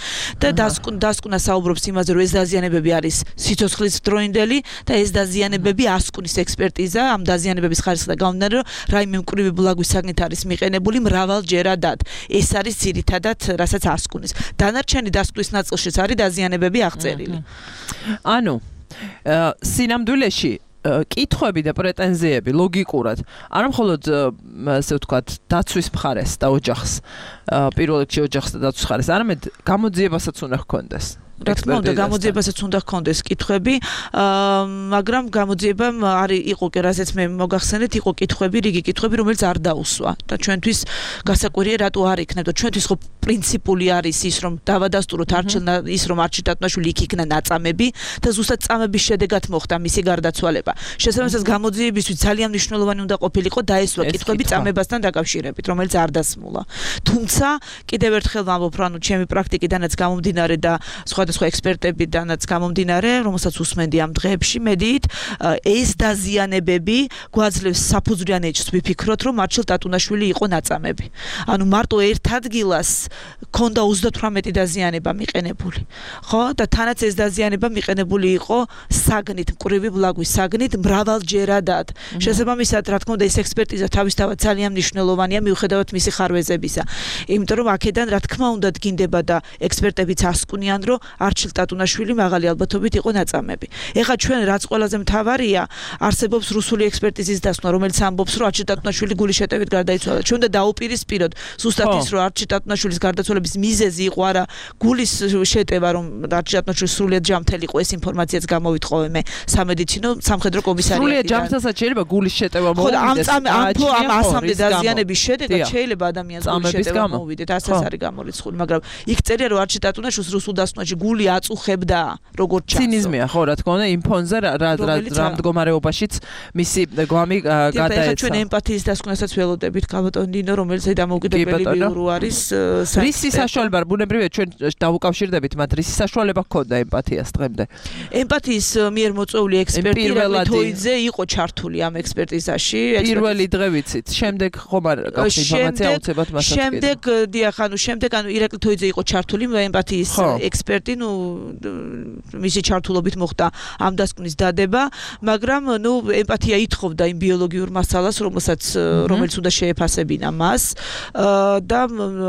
და დასკვნა საუბრობს იმაზე, რომ ეს დაზიანებები არის სიცოცხლის დროინდელი და ეს დაზიანებები ასკვნის ექსპერტიზა, ამ დაზიანებების ხარისხი და გამომდინარე, რომ რაიმე მკვრივი ბლაგვის საგნით არის მიყენებული მრავალჯერადად. ეს არის ძირითადად, რასაც ასკვნის. დანარჩენი დასკვნის ნაწილშიც არის დაზიანებები აღწერილი. ანუ სინამდვილეში კითხვები და პრეტენზიები ლოგიკურად არა მხოლოდ ასე ვთქვათ დაცვის მხარეს და ოჯახს პირველ რიგში ოჯახს და დაცვის მხარეს არამედ გამოძიებასაც უნდა ჰქონდეს რა თქმა უნდა გამოძიებასაც უნდა ჰქონდეს კითხვები მაგრამ გამოძიებამ არის იყო კი რასაც მე მოგახსენეთ იყო კითხვები რიგი კითხვები რომელიც არ დაუსვა და ჩვენთვის გასაკვირია რატო არ იქნება და ჩვენთვის ხო პრინციპული არის ის რომ დავადასტუროთ ის რომ არჩილ ტატუნაშვილი იქ იქნა ნაწამები და ზუსტად წამების შედეგად მოხდა მისი გარდაცვალება შესაბამისად გამოძიებისთვის ძალიან მნიშვნელოვანი უნდა ყოფილიყო დაესვა კითხვები წამებასთან დაკავშირებით რომელიც არ დასმულა თუმცა კიდევ ერთხელ ვამბობ რომ ჩემი პრაქტიკიდანაც გამომდინარე და სხვა ექსპერტებიდანაც გამომდინარე, რომელსაც უსმენდი ამ დღეებში, მედით, ეს დაზიანებები გვაძლევს საფუძვლიან ეჭვს ვიფიქროთ, რომ მარჩილ ტატუნაშვილი იყო ნაწამები. ანუ მარტო ერთ ადგილას ქონდა 38 დაზიანება მიყენებული. ხო? და თანაც ეს დაზიანება მიყენებული იყო საგნით, მკვრივი ბლაგვის საგნით მრავალჯერადად. შესაბამისად, რა თქმა უნდა, ეს ექსპერტიზა თავისთავად ძალიან მნიშვნელოვანია მიუხედავად მისი ხარვეზებისა. იმიტომ რომ აქედან რა თქმა უნდა დგინდება და ექსპერტებიც ასკვნიან, რომ არჩილ ტატუნაშვილი მაღალი ალბათობით იყო ნაწამები. ეხლა ჩვენ რაც ყველაზე მთავარია, არსებობს რუსული ექსპერტიზის დასკვნა, რომელიც ამბობს, რომ არჩილ ტატუნაშვილი გულის შეტევით გარდაიცვალა. ჩვენ უნდა დაუპირისპიროთ ზუსტად ის, რომ არჩილ ტატუნაშვილის გარდაცვალების მიზეზი იყო არა გულის შეტევა, რომ არჩილ ტატუნაშვილი სრულიად ჯანმრთელი იყო, ეს ინფორმაციაც გამოვიტყოვე მე სამედიცინო სამხედრო კომისარიატიდან. სრულიად ჯანმრთელსაც შეიძლება გულის შეტევა მოვიდეს. ამ ასამდე დაზიანების შედეგად შეიძლება ადამიანს გულის შეტევა მოვიდეთ, ასეც არის გამორიცხული, მაგრამ იქ წერია, რომ არჩილ ტატუნაშვილს რუსულ დასკვნაში გული აწუხებდა როგორც ჩანს. ცინიზმია ხო რა თქმა უნდა იმ ფონზე რა მდგომარეობაშიც მისი გვამი გადაეცა. ჩვენ ემპათიის დასკვნასაც ველოდებით ქალბატონინო რომელიც დამოუკიდებელი ბიურო არის. რისი საშუალება ბუნებრივია ჩვენ დავუკავშირდებით მათ რისი საშუალება ჰქონდა ემპათიას დღემდე. ემპათიის მიერ მოწვეული ექსპერტი როიტოიძე იყო ჩართული ამ ექსპერტიზაში. პირველი დღე ვიცით. შემდეგ ხომ არ გაქვს ინფორმაცია აუცილებლად მასაც. შემდეგ დიახ ანუ შემდეგ ანუ ირაკლი თოიძე იყო ჩართული ემპათიის ექსპერტი ნუ მისი ჩართულობით მოხდა ამ დასკვნის დადება, მაგრამ ნუ ემპათია ითხოვდა იმ ბიოლოგიურ მასალას, რომელიც უნდა შეეფასებინა მას და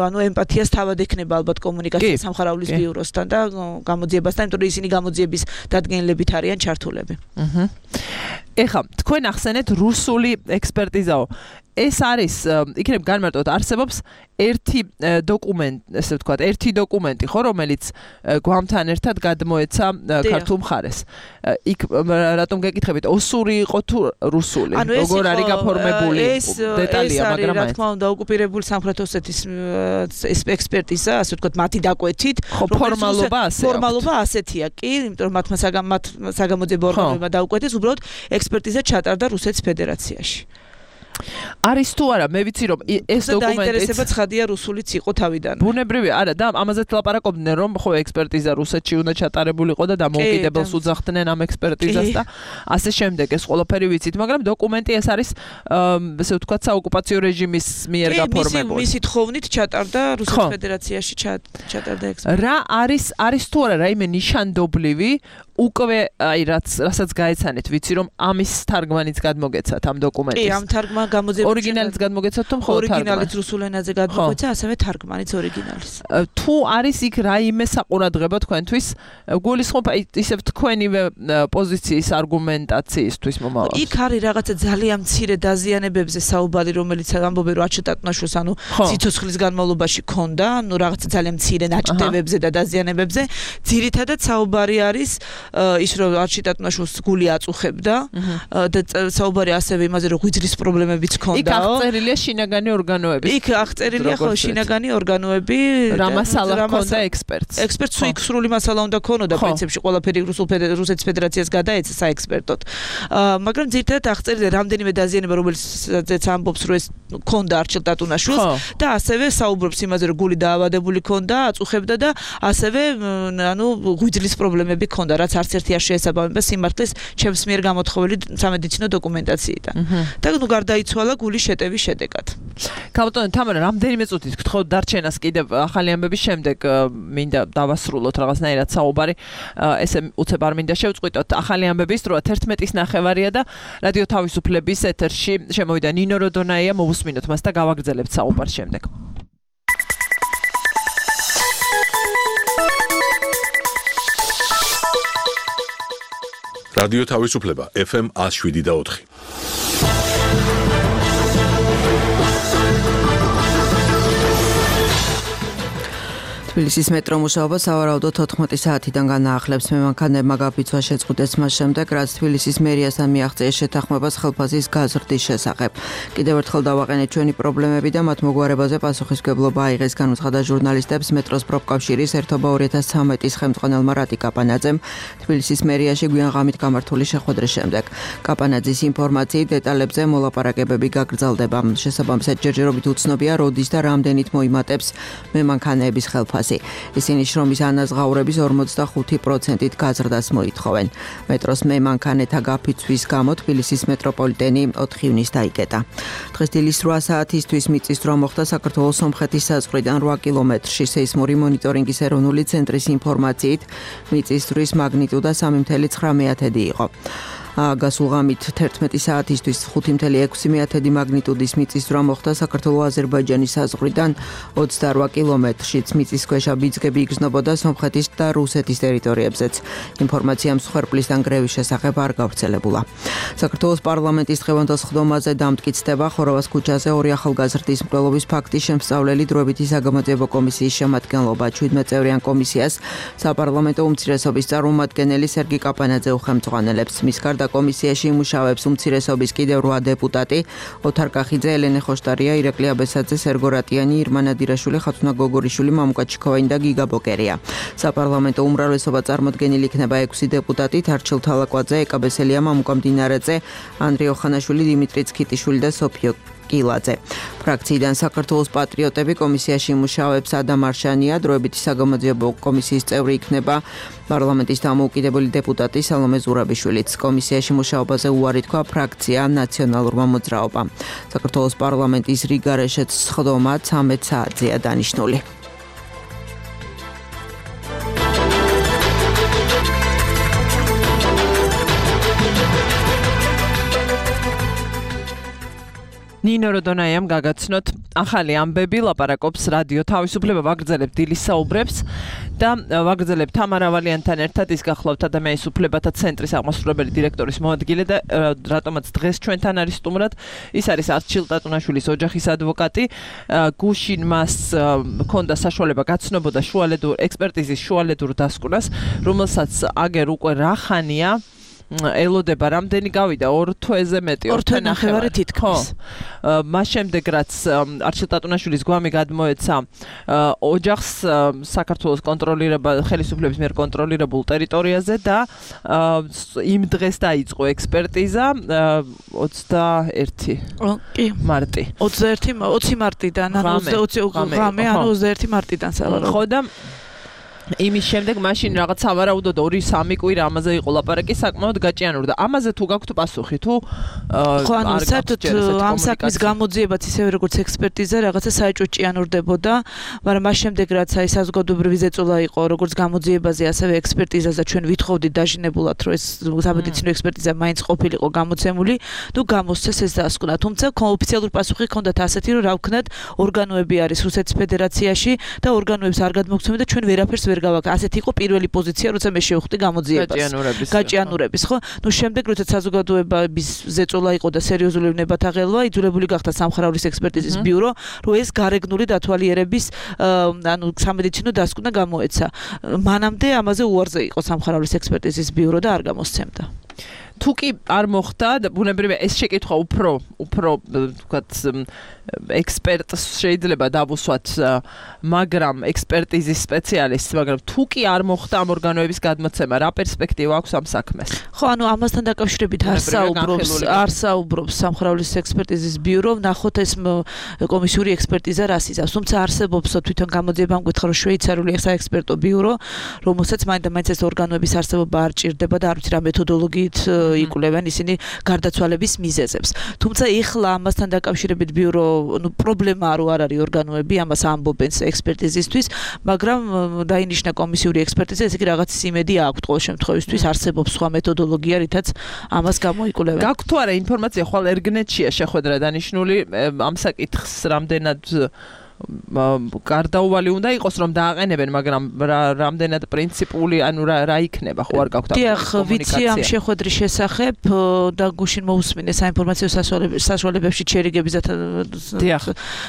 ანუ ემპათიას თავად ექნება ალბათ კომუნიკაცია სამხარაულის ბიუროსთან და გამოძიებასთან, იმიტომ რომ ისინი გამოძიების დადგენილებით არიან ჩართულები. ეხლა თქვენ ახსენეთ რუსული ექსპერტიზაო. ეს არის იქნებ განმარტოთ არსებობს ერთი დოკუმენტი, ესე ვთქვათ, ერთი დოკუმენტი, ხო, რომელიც გვამთან ერთად გადმოეცა ქართულ მხარეს. იქ რატომ გეკითხებით, ოსური იყო თუ რუსული? როგორ არის გაფორმებული დეტალია, მაგრამ რა თქმა უნდა, ოკუპირებული სამხრეთ ოსეთის ექსპერტიზა, ასე ვთქვათ, მათი დაკვეთით, ფორმალობა ასეთია კი, იმიტომ რომ მათმა საგამოძიებო ორგანოებმა დაუკვეთეს, უბრალოდ ექსპერტიზა ჩატარდა რუსეთის ფედერაციაში. არის თუ არა მე ვიცი რომ ეს დოკუმენტი დაინტერესება ცხადია რუსულიც იყო თავიდან. ბუნებრივია, არა და ამაზე ლაპარაკობდნენ რომ ხო ექსპერტიზა რუსეთში უნდა ჩატარებულიყო და დამოუკიდებელს უძახდნენ ამ ექსპერტიზას და ასე შემდეგ ეს ყველაფერი ვიცით, მაგრამ დოკუმენტი ეს არის ესე ვთქვათ საოკუპაციო რეჟიმის მიერ გაფორმებული. მისი თხოვნით ჩატარდა რუსეთის ფედერაციაში ჩატარდა ექსპერტიზა. რა არის თუ არა რაიმე ნიშანდობლივი უკვე აი რასაც გაეცანეთ ვიცი რომ ამის თარგმანიც გადმოგეცათ ამ დოკუმენტის. კი, ამ თარგმან გამოძიებას ორიგინალიც გადმოგეცათ თუ მხოლოდ თარგმანი? ორიგინალიც რუსულ ენაზე გადმოგვეცა, ასევე თარგმანიც ორიგინალის. თუ არის იქ რაიმე საყურადღება თქვენთვის, გულისხმობ ისევ თქვენივე პოზიციის არგუმენტაციისთვის მომავალ. იქ არის რაღაცა ძალიან მცირე დაზიანებებზე საუბარი, რომელიც ამბობენ რომ არჩილ ტატუნაშვილს ანუ სიცოცხლის განმავლობაში ქონდა, ანუ რაღაცა ძალიან მცირე ნაჭდევებზე და დაზიანებებზე. ძირითადად საუბარი არის ის რომ არჩილ ტატუნაშვილს გული აწუხებდა და საუბარი ასევე იმაზე რომ ღვიძლის პრობლემებიც ჰქონდაო. იქ აღწერილია შინაგანი ორგანოები. იქ აღწერილია ხო შინაგანი ორგანოები რა მასალა ჰქონდა ექსპერტს. ექსპერტს იქ სრული მასალა უნდა ქონოდა პრინციპში ყველაფერი რუსეთის ფედერაციას გადაეცა საექსპერტოდ. მაგრამ ძირითადად აღწერილია რამდენიმე დაზიანება რომელსაც ამბობს რომ ეს ქონდა არჩილ ტატუნაშვილს და ასევე საუბრობს იმაზე რომ გული დაავადებული ქონდა, აწუხებდა და ასევე ღვიძლის პრობლემები ქონდა, რაც არც ერთი არ შეესაბამება სიმართლეს ჩემს მიერ გამოთხოვილი სამედიცინო დოკუმენტაციიდან. და გარდაიცვალა გულის შეტევის შედეგად. ქალბატონო თამარა, რამდენიმე წუთით გთხოვთ დარჩენას კიდევ ახალი ამბების შემდეგ მინდა დავასრულოთ რაღაცნაირად საუბარი. ესე უცებ არ მინდა შევწყვიტოთ. ახალი ამბების დროა 11:09 და რადიო თავისუფლების ეთერში შემოვიდა ნინო როდონაია, მოვუსმინოთ მას და გავაგრძელებთ საუბარს შემდეგ. რადიო თავისუფლება FM 107.4. თბილისის მეტრო მუშაობა სავარაუდოდ 14 საათიდან განაახლებს. მემანქანებმა გაფიცვა შეწყვიტეს მას შემდეგ, რაც თბილისის მერიასთან მიაღწიეს შეთანხმებას ხელფასის გაზრდის შესახებ. კიდევ ერთხელ დავაყენეთ ჩვენი პრობლემები და მათ მოგვარებაზე პასუხისმგებლობა აიღეს, განუცხადა ჟურნალისტებს მეტროს პროფკავშირის ერთობა 2013-ის ხელმძღვანელმა რატი კაპანაძემ თბილისის მერიაში გვიან ღამით გამართული შეხვედრის შემდეგ. კაპანაძის ინფორმაციით დეტალებზე მოლაპარაკებები გაგრძელდება. შესაბამისად ჯერჯერობით უცნობია როდის და რამდენით მოიმატებს მემანქანეების ხელფასი. ისინი შრომის ანაზღაურების 45%-ით გაზრდას მოითხოვენ. მეტროს მემანქანეთა გაფიცვის გამო თბილისის მეტროპოლიტენი 4 ივნისს დაიკეტა. დღეს დილის 8 საათისთვის მიწისძვრა მოხდა საქართველოს სომხეთის საზღვრიდან 8 კილომეტრში. სეისმური მონიტორინგის ეროვნული ცენტრის ინფორმაციით მიწისძვრის მაგნიტუდა 3.9 იყო. გასულ ღამით 11 საათისთვის 5.6 მაგნიტუდის მიწისძვრა მოხდა საქართველოს აზერბაიჯანის საზღვრიდან 28 კილომეტრშიც. მიწისქვეშა ბიძგები იგრძნობოდა სომხეთის და რუსეთის ტერიტორიებზეც. ინფორმაცია მსხვერპლის ან გრევის შესახებ არ გავრცელებულა. საქართველოს პარლამენტის დღევანდელ სხდომაზე დამტკიცდება ხოროვას ქუჩაზე 2 ახალგაზრდის მკვლელობის ფაქტის შემსწავლელი დროებითი საგამოძიებო კომისიის შემადგენლობა. 17 წევრიან კომისიას საპარლამენტო უმცირესობის წარმომადგენელი სერგი კაპანაძე უხელმძღვანელებს. მის გარდა კომისიაში იმუშავებს უმცირესობის კიდევ 8 დეპუტატი: ოთარ კახიძე, ელენე ხოშტარია, ირაკლი აბესაძე, სერგო რატიანი, ირმა ნადირაშვილი, ხათუნა გოგორიშვილი, მამუკა ჩიქოვანი და გიგა ბოკერია. საპარლამენტო უმრავლესობა წარმოდგენილი იქნება 6 დეპუტატით: არჩილ თალაკვაძე, ეკა ბესელია, მამუკა მდინარეძე, ანდრე ოხანაშვილი, დიმიტრი ცქიტიშვილი და სოფიო კილაძე. ფრაქციიდან საქართველოს პატრიოტები კომისიაში იმუშავებს ადამ არშანია, დროებითი საგამოძიებო კომისიის წევრი იქნება პარლამენტის დამოუკიდებელი დეპუტატი სალომე ზურაბიშვილიც. კომისიაში მუშაობაზე უარი თქვა ფრაქცია ნაციონალურმა მოძრაობამ. საქართველოს პარლამენტის რიგარეშეც სხდომა 13 საათზეა დანიშნული. ნინო როდონაიამ გაგაცნოთ ახალი ამბები, ლაპარაკობს რადიო თავისუფლება, ვაგრძელებთ დილის საუბრებს და ვაგრძელებთ თამარა ვალიანთან ერთად. ის გახლავთ ადამიანის უფლებათა ცენტრის აღმასრულებელი დირექტორის მოადგილე და რატომაც დღეს ჩვენთან არის სტუმრად, ის არის არჩილ ტატუნაშვილის ოჯახის ადვოკატი. გუშინ მას ჰქონდა საშუალება გაცნობოდა ექსპერტიზის შუალედურ დასკვნას, რომელსაც აგერ უკვე რა ხანია ელოდება, რამდენი გავიდა 2 თვეზე მეტი, 2 თვე თითქმის. მას შემდეგ რაც არჩილ ტატუნაშვილის გვამი გადმოეცა ოჯახს საქართველოს ხელისუფლების მიერ კონტროლირებულ ტერიტორიაზე და იმ დღეს დაიწყო ექსპერტიზა 21 მარტი. 20 მარტიდან, ანუ 21 მარტიდან სავარაუდოდ. ხო და იმის შემდეგ მაშინ რაღაც სავარაუდოდ 2-3 კვირა ამაზე იყო ლაპარაკი, საკმაოდ გაჭიანურდა და ამაზე თუ გაქვთ პასუხი თუ ხო ანუ საერთოდ ამ საქმის გამოძიებაც ისევე როგორც ექსპერტიზა რაღაცა საეჭვო ჭიანურდებოდა, მაგრამ მას შემდეგ რაც აი საზოგადოებრივი ზეწოლა იყო როგორც გამოძიებაზე ასევე ექსპერტიზაზე ჩვენ ვითხოვდით დაჟინებულად რომ ეს სამედიცინო ექსპერტიზა მაინც ყოფილიყო გამოცემული, თუ გამოსცეს ეს დასკვნა, თუმცა ოფიციალური პასუხი ჰქონდათ ასეთი რომ რა ვქნათ ორგანოები არის რუსეთის ფედერაციაში და ორგანოებს არ გადმოგცემენ და ჩვენ ვერაფერს ვერ გავაკეთე. ასეთი იყო პირველი პოზიცია, როცა მე შევხვდი გამოძიებას. გაჭიანურების, ხო? ნუ შემდეგ როცა საზოგადოების ზეწოლა იყო და სერიოზული ნებათა ღელვა, იძულებული გახდა სამხარaulis ექსპერტიზის ბიურო, რომ ეს გარეგნული დათვალიერების სამედიცინო დასკვნა გამოეცა. მანამდე ამაზე უარზე იყო სამხარaulis ექსპერტიზის ბიურო და არ გამოსცემდა. თუ კი არ მოხდა და ბუნებრივია ეს შეკითხვა უფრო ვთქვათ ექსპერტს შეიძლება დავუსვათ, მაგრამ ექსპერტიზის სპეციალისტს, მაგრამ თუ კი არ მოხდა ამ ორგანოების გადმოცემა, რა პერსპექტივა აქვს ამ საქმეს? ხო, ამასთან დაკავშირებით არსაუბრობს სამხარaulis ექსპერტიზის ბიურო, ნახოთ ეს კომისიური ექსპერტიზა რას იზავს. თუმცა არსებობს თვითონ გამოძიებამ გითხრა, რომ შვეიცარიული საექსპერტო ბიურო, რომელსაც მაინც ეს ორგანოების არსებობა არ ჭირდება და არ ვიცი რა მეთოდოლოგიით იკვლევენ ისინი გარდაცვალების მიზეზებს. თუმცა ეხლა ამასთან დაკავშირებით ბიურო პრობლემა არ არის ორგანოები, ამას ამბობენ ექსპერტიზისთვის, მაგრამ დაინიშნა კომისიური ექსპერტიზა, ესე იგი რაღაც იმედი აქვს ყოველ შემთხვევისთვის, არსებობს სხვა მეთოდოლოგია, რითაც ამას გამოიკვლევენ. გაქვთ თუ არა ინფორმაცია, ხვალ ერგნეტშია შეხვედრა დანიშნული ამ საკითხს რამდენად გარდაუვალი უნდა იყოს რომ დააყენებენ, მაგრამ რამდენად პრინციპული, ანუ რა იქნება, ხო არ გაქვთ დიახ, ვიცი ამ შეხვედრის შესახებ და გუშინ მოусმინე საინფორმაციო საშუალებებში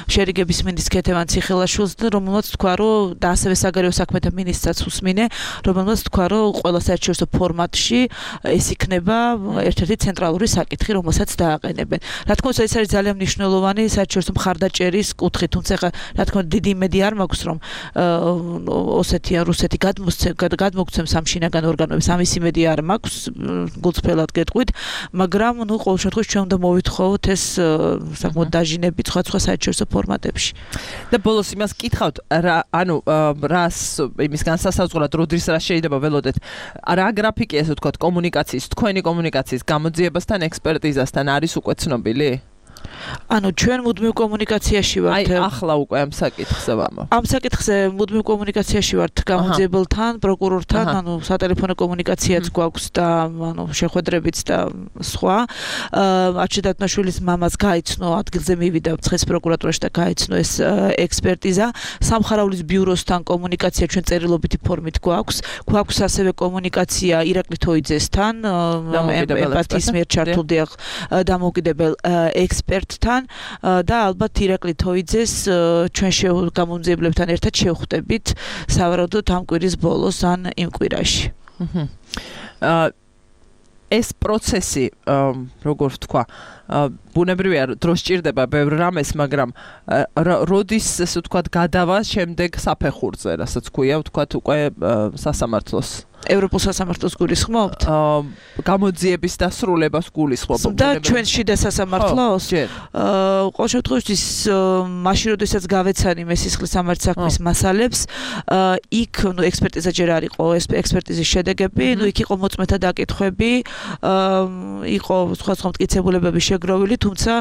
შერიგების მინისტრ ქეთევან ციხელაშვილს, რომელმაც თქვა, რომ და ასევე საგარეო საქმეთა მინისტრსაც უსმინე, რომელმაც თქვა, რომ ყველა საერთაშორისო ფორმატში ეს იქნება ერთ-ერთი ცენტრალური საკითხი, რომელსაც დააყენებენ. რა თქმა უნდა, ეს არის ძალიან მნიშვნელოვანი საერთაშორისო მხარდაჭერის კუთხით, თუმცა რა თქმა უნდა დიდი იმედი არ მაქვს რომ ოსეთი ან რუსეთი გადმოგცემს ამ შინაგან ორგანოებს, ამის იმედი არ მაქვს, გულწრფელად გეტყვით, მაგრამ ნუ ყოველ შემთხვევაში ჩვენ უნდა მოვითხოვოთ ეს საკმაოდ დაჟინები სხვა საერთაშორისო ფორმატებში. და ბოლოს იმას კითხავთ, ანუ რას იმის განსასაზღვრად როდის რა შეიძლება ველოდეთ, რა გრაფიკი ესე ვთქვათ კომუნიკაციის, თქვენი კომუნიკაციის გამოძიებასთან, ექსპერტიზასთან არის უკვე ცნობილი? ანუ ჩვენ მუდმივ კომუნიკაციაში ვართ. ახლა უკვე ამ საკითხზე ვამბობ. ამ საკითხზე მუდმივ კომუნიკაციაში ვართ გამოძიებელთან, პროკურორთან, ანუ სატელეფონო კომუნიკაციაც გვაქვს და ანუ შეხვედრებიც და სხვა. არჩილ დათნაშვილის მამას გაიცნო, ადგილზე მივიდა ცხეს პროკურატურაში და გაიცნო ეს ექსპერტიზა. სამხარaulis ბიუროსთან კომუნიკაცია ჩვენ წერილობითი ფორმით გვაქვს. გვაქვს ასევე კომუნიკაცია ირაკლი თოიძესთან, ემპათიის მიერ ჩართულ დამოუკიდებელ ექსპერტთან და ალბათ ირაკლი თოიძეს ჩვენ გამომძიებლებთან ერთად შევხვდებით სავარაუდოდ ამ კვირის ბოლოს ან იმ კვირაში. ეს პროცესი, როგორ ვთქვა, ბუნებრივია დრო სჭირდება ბევრ რამეს, მაგრამ როდის ესე ვთქვათ გადავა შემდეგ საფეხურზე, რასაც ქვია ვთქვათ უკვე სასამართლოს. ევროპულ სასამართლოს გულისხმობთ? გამოძიების დასრულებას გულისხმობ. და ჩვენ შიდა სასამართლოს? ყოველ შემთხვევაში მაშინ როდესაც გავეცანი მე სისხლის სამართლის საქმის მასალებს, იქ ექსპერტიზა ჯერ არ იყო, ექსპერტიზის შედეგები, იქ იყო მოწმეთა დაკითხვები, იყო სხვა მტკიცებულებები შეგროვილი, თუმცა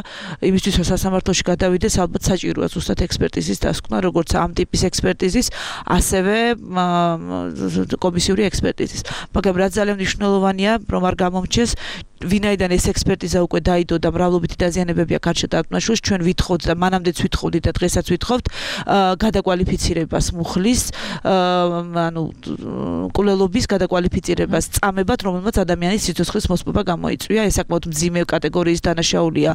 იმისთვის რომ სასამართლოში გადავიდეს, ალბათ საჭიროა ზუსტად ექსპერტიზის დასკვნა, როგორც ამ ტიპის ექსპერტიზის, ასევე კომისიური ექსპერტიზის. მაგრამ რაც ძალიან მნიშვნელოვანია, რომ არ გამომჩეს, ვინაიდან ეს ექსპერტიზა უკვე დაიდო და მრავლობითი დაზიანებები აქ არჩილ დათნაშვილს, ჩვენ ვითხოვთ და მანამდეც ვითხოვდით და დღესაც ვითხოვთ გადაკვალიფიცირებას მუხლის, ანუ კვლელობის გადაკვალიფიცირებას წამებად, რომელმაც ადამიანის სიცოცხლის მოსპობა გამოიწვია, ეს საკმაოდ მძიმე კატეგორიის დანაშაულია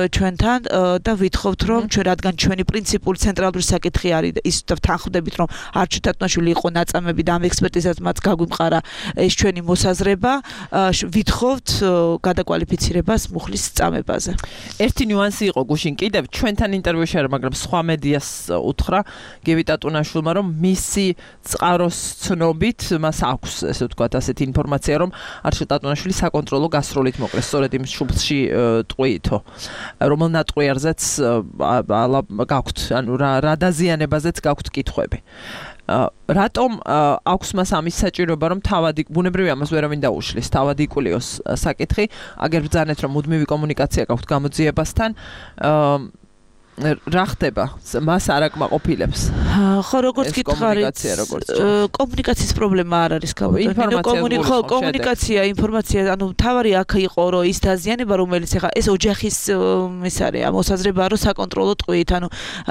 ჩვენთან და ვითხოვთ, რომ ჩვენ რადგან ჩვენი პრინციპული ცენტრალური საკითხი არის და ის თანხმდებით, რომ არჩილ დათნაშვილი იყო ნაწამები და ამ ექსპერტიზას მათ გაგვიმყარა ეს ჩვენი მოსაზრება, ვითხოვთ გადაკვალიფიცირებას მუხლის წამებაზე. ერთი ნიუანსი იყო გუშინ კიდევ ჩვენთან ინტერვიუში არა, მაგრამ სხვა მედიას უთხრა გივი ტატუნაშვილმა, რომ მისი წყაროს ცნობით მას აქვს ესე ვთქვათ ასეთი ინფორმაცია, რომ არჩილ ტატუნაშვილი საკონტროლო გასროლით მოკლეს სწორედ იმ შუბლში ტყვიითო, რომელ ნატყვიარზეც გაქვთ, ანუ რა დაზიანებაზეც გაქვთ კითხვები. რატომ აქვს მას ამის საჭიროება, რომ თავად ბუნებრივია ამას ვერავინ დაუშლის, თავად იკვლიოს საკითხი, აგერ ბრძანეთ, რომ მუდმივი კომუნიკაცია გაქვთ გამოძიებასთან, რა ხდება მას არ აკმაყოფილებს ხო როგორც გითხარით კომუნიკაციის პრობლემა არ არის კომუნიკაცია ინფორმაცია ანუ თავარი აქ იყო რომ ის დაზიანება რომელიც ახლა ეს ოჯახის ის არის მოსაზრება რომ საკონტროლო ტყვით ანუ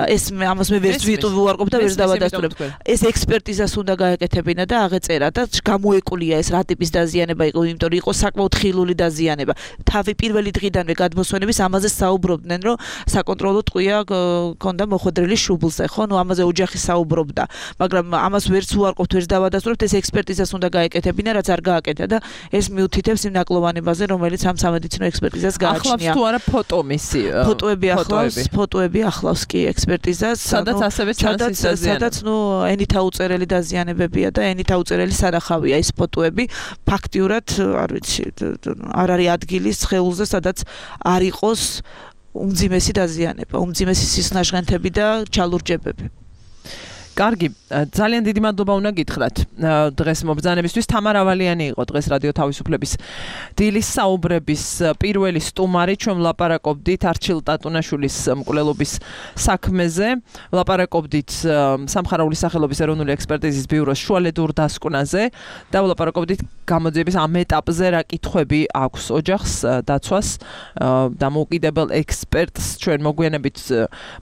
ეს ამას მე ვერც ვუარყოფ და ვერც დავადასტურებ ეს ექსპერტიზას უნდა გაეკეთებინა და აღეწერა და გამოეკვლია ეს რა ტიპის დაზიანება იყო იმიტომ რომ იყო საკმაოდ ხილული დაზიანება თავი პირველი დღიდანვე გადმოსვენების ამაზე საუბრობდნენ რომ საკონტროლო ტყვია კონდა მოხდრილი შუბლზე ხო ნუ ამაზე ოჯახი საუბრობდა მაგრამ ამას ვერც უარყოფთ ვერც დავადასტურებთ ეს ექსპერტიზას უნდა გაეკეთებინა რაც არ გააკეთა და ეს მიუთითებს იმ ნაკლოვანებაზე რომელიც ამ სამედიცინო ექსპერტიზას გააჩნია ახლავს თუ არა ფოტო მისი ფოტოები ახლავს კი ექსპერტიზას სადაც ასევე ჩანს სადაც ნუ ენითა უწერელი დაზიანებებია და ენითა უწერელი სანახავია ის ფოტოები ფაქტიურად არ ვიცი არ არის ადგილი სხეულზე სადაც არ იყოს უმძიმესი დაზიანება, უმძიმესი სისნაჟღენთები და ჩალურჯებები. კარგი, ძალიან დიდი მადლობა უნდა გითხრათ დღეს მობრძანებისთვის. თამარ ავალიანი იყო დღეს რადიო თავისუფლების დილის საუბრების პირველი სტუმარი. ჩვენ ვლაპარაკობდით არჩილ ტატუნაშვილის მკვლელობის საქმეზე. ვლაპარაკობდით სამხარაული სახელობის ეროვნული ექსპერტიზის ბიუროს შუალედურ დასკვნაზე და ვლაპარაკობდით გამოძიების ამ ეტაპზე რა კითხვები აქვს ოჯახს, დაცვას, დამოუკიდებელ ექსპერტს. ჩვენ მოგვიანებით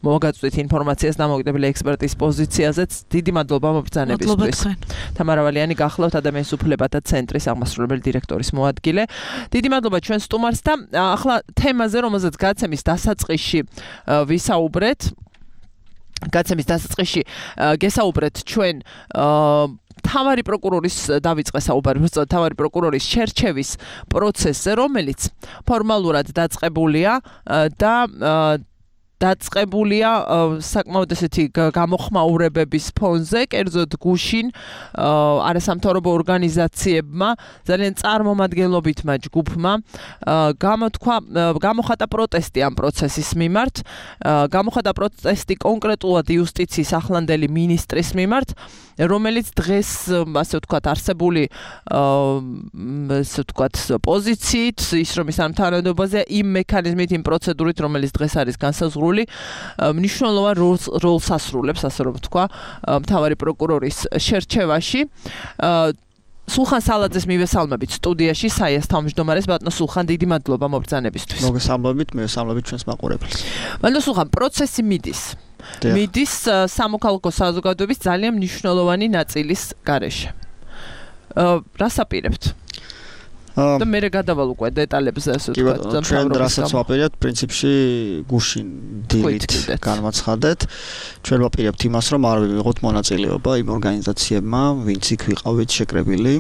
მოგაწვდით ინფორმაციას დამოუკიდებელი ექსპერტის პოზიციაზე. დიდი მადლობა მობრძანებისთვის. თამარ ავალიანი გახლავთ ადამიანის უფლებათა ცენტრის აღმასრულებელი დირექტორის მოადგილე. დიდი მადლობა ჩვენ სტუმარს და ახლა თემაზე რომელზეც გაცემის დასაწყისში ვისაუბრეთ. გაცემის დასაწყისში გესაუბრეთ ჩვენ თავარი პროკურორის დავიწყე საუბარი თავარი პროკურორის შერჩევის პროცესზე რომელიც ფორმალურად დაწყებულია და დაწყებულია საკმაოდ ესეთი გამოხმაურებების ფონზე, კერძოდ გუშინ არასამთავრობო ორგანიზაციებმა ძალიან წარმომადგენლობითმა ჯგუფმა გამოხატა პროტესტი ამ პროცესის მიმართ, გამოხატა პროტესტი კონკრეტულად იუსტიციის ახლანდელი მინისტრის მიმართ, რომელიც დღეს ასე ვთქვათ არსებული ასე ვთქვათ პოზიციით, ის რომ ის ამ თანამდებობაზე იმ მექანიზმით, იმ პროცედურით, რომელიც დღეს არის განსაზღვრული მნიშვნელოვან როლს ასრულებს, ასე რომ ვთქვა, მთავარი პროკურორის შერჩევაში. სულხან სალაძეს მივესალმებით სტუდიაში, საიას თავმჯდომარეს ბატონო სულხან, დიდი მადლობა მობრძანებისთვის. მოგესალმებით, მივესალმებით ჩვენს მაყურებელს. ბატონო სულხან, პროცესი მიდის სამოქალაქო საზოგადოების ძალიან მნიშვნელოვანი ნაწილის გარეშე. რას აპირებთ? და მე გადავალ უკვე დეტალებზე ასე ვთქვათ. ჩვენ რასაც ვაპირებთ, პრინციპში გუშინ დილით განვაცხადეთ. ჩვენ ვაპირებთ იმას, რომ არ ვიღოთ მონაწილეობა იმ ორგანიზაციებმა, ვინც იქ ვიყავით შეკრებილი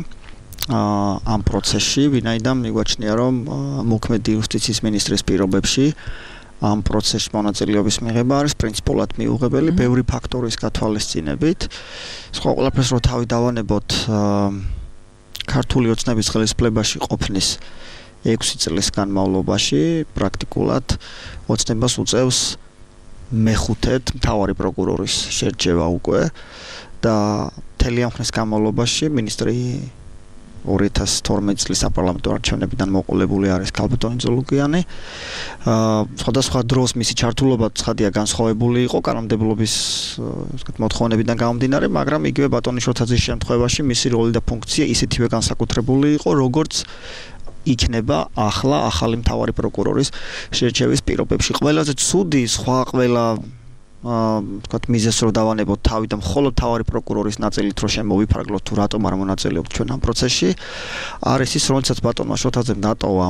ამ პროცესში, ვინაიდან მიგვაჩნია, რომ მოქმედი იუსტიციის მინისტრის პირობებში ამ პროცესში მონაწილეობის მიღება არის პრინციპულად მიუღებელი ბევრი ფაქტორის გათვალისწინებით. სხვა ყველაფერს რო თავი დავანებოთ ქართული ოცნების ხელისუფლებაში ყოფნის 6 წლის განმავლობაში პრაქტიკულად ოცნებას უწევს მეხუთედ მთავარი პროკურორის შერჩევა უკვე და მთელი ამ ხნის განმავლობაში მინისტრი 2012 წლის საპარლამენტო არჩევნებიდან მოყოლებული არის ქალბატონი ზოლუგიანი. სხვადასხვა დროს მისი ჩართულობა ცხადია განსხვავებული იყო კანონმდებლობის მოთხოვნებიდან გამომდინარე, მაგრამ იგივე ბატონიშვილთაძის შემთხვევაში მისი როლი და ფუნქცია ისეთივე განსაკუთრებული იყო, როგორც იქნება ახლა ახალი მთავარი პროკურორის შერჩევის პირობებში. ყველაზე ცუდი სხვა ყველა ვთქვათ მიზეზს რო დავანებოთ თავი და მხოლოდ მთავარი პროკურორის ნაწილით რო შემოვიფარგლოთ თუ რატომ არ მონაწილეობთ ჩვენ ამ პროცესში არის ის რომელსაც ბატონმა შოთაძემ დატოვა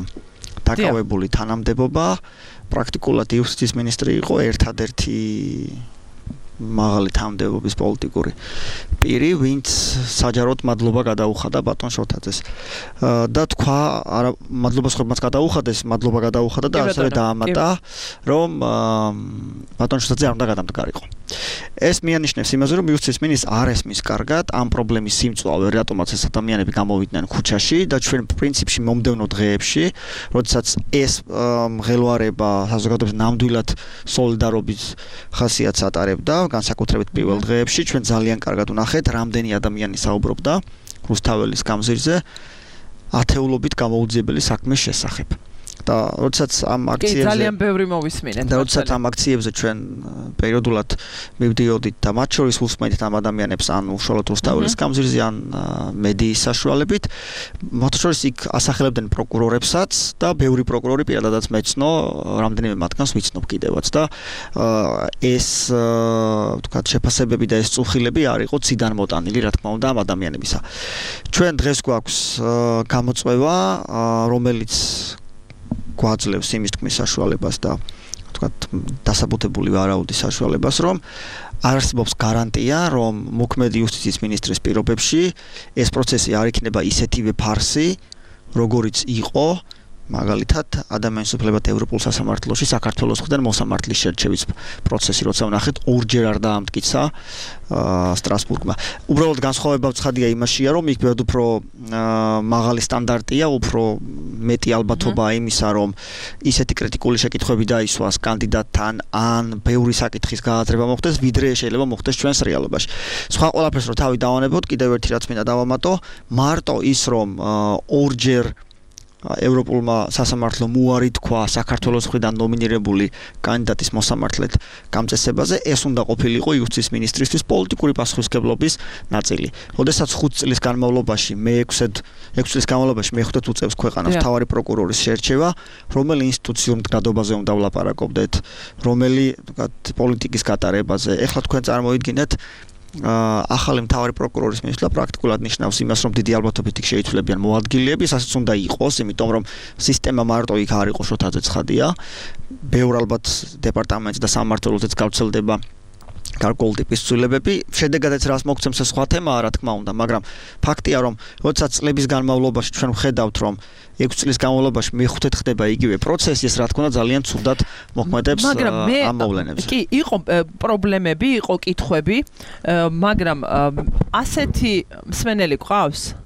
დაკავებული თანამდებობა პრაქტიკულად იუსტიციის მინისტრი იყო ერთადერთი მაღალი თანამდებობის პოლიტიკური პირი ვინც საჯაროდ მადლობა გადაუხადა ბატონ შოთაძეს და თქვა არა მადლობა სხვებმაც გადაუხადეს მადლობა გადაუხადა და ასევე დაამატა რომ ბატონ შოთაძე არ უნდა გადამდგარიყო ეს მიანიშნებს იმაზე რომ იუსტიციის მინისტრს არ ესმის კარგად ამ პრობლემის სიმწვავე რატომაც ეს ადამიანები გამოვიდნენ ქუჩაში და ჩვენ პრინციპში მომდევნო დღეებში როდესაც ეს მღელვარება საზოგადოების ნამდვილად სოლიდარობის ხასიათს ატარებდა განსაკუთრებით პირველ დღეებში ჩვენ ძალიან კარგად ვნახეთ რამდენი ადამიანი საუბრობდა რუსთაველის გამზირზე ათეულობით გამოუძიებელი საქმის შესახებ და როდესაც ამ აქციებზე ძალიან ბევრი მოვისმინეთ. და როდესაც ამ აქციებზე ჩვენ პერიოდულად მივდიოდით და მათ შორის უსმენთ ამ ადამიანებს ან უშუალოდ რუსთაველის გამზირზე ან მედიის საშუალებით, მათ შორის იქ ასახელებდნენ პროკურორებსაც და ბევრი პროკურორი პირადადაც მეცნო, რამდენიმე მათგანს ვიცნობ კიდევაც და ეს ვთქვათ შეფასებები და ეს წუხილები არ იყო ციდან მოტანილი, რა თქმა უნდა, ამ ადამიანებისა. ჩვენ დღეს გვაქვს გამოწვევა, რომელიც გვაძლევს იმის თქმის საშუალებას და ვთქვათ დასაბუთებული ვარაუდის საშუალებას, რომ არ არსებობს გარანტია, რომ მოქმედი იუსტიციის მინისტრის პირობებში ეს პროცესი არ იქნება ისეთივე ფარსი, როგორიც იყო მაგალითად ადამიანის უფლებათა ევროპულ სასამართლოში საქართველოს მხრიდან მოსამართლის შერჩევის პროცესი, როცა ვნახეთ ორჯერ არ დაამტკიცა სტრასბურგმა. უბრალოდ განსხვავება ცხადია იმაშია, რომ იქ ბევრ უფრო მაღალი სტანდარტია, უფრო მეტი ალბათობაა იმისა, რომ ისეთი კრიტიკული შეკითხვები დაისვას კანდიდატთან ან ბევრი საკითხის გააზრება მოხდეს, ვიდრე შეიძლება მოხდეს ჩვენს რეალობაში. სხვა ყველაფერს რო თავი დავანებოთ, კიდევ ერთი რაც მინდა დავამატო, მარტო ის რომ ორჯერ ევროპულმა სასამართლომ უარი თქვა საქართველოს მხრიდან ნომინირებული კანდიდატის მოსამართლედ გამწესებაზე, ეს უნდა ყოფილიყო იუსტიციის მინისტრისთვის პოლიტიკური პასუხისმგებლობის ნაწილი. როდესაც 5 წლის განმავლობაში მე 6 წლის განმავლობაში მე 5 უწევს ქვეყანას მთავარი პროკურორის შერჩევა, რომელი ინსტიტუციურ მდგრადობაზე უნდა ვლაპარაკობდეთ, რომელი პოლიტიკის გატარებაზე. ეხლა თქვენ წარმოიდგინეთ ახალი მთავარი პროკურორის მისვლა პრაქტიკულად ნიშნავს იმას, რომ დიდი ალბათობით იქ შეიცვლებიან მოადგილეები, ასაც უნდა იყოს, იმიტომ რომ სისტემა მარტო იქ არ იყო შოთაძე ცხადია. ბევრ ალბათ დეპარტამენტს და სამმართველოთაც გავრცელდება გარკვეული ტიპის ცვლილებები. შედეგადაც რას მოგცემს ეს სხვა თემაა, რა თქმა უნდა, მაგრამ ფაქტია, რომ როდესაც წლების განმავლობაში ჩვენ ვხედავთ, რომ 6 წლის განმავლობაში მე-5 ხდება იგივე პროცესი, ეს რა თქმა უნდა ძალიან ცუდად მოქმედებს ამ მოვლენებზე. კი, იყო პრობლემები, იყო კითხვები, მაგრამ ასეთი მსმენელი გვყავს?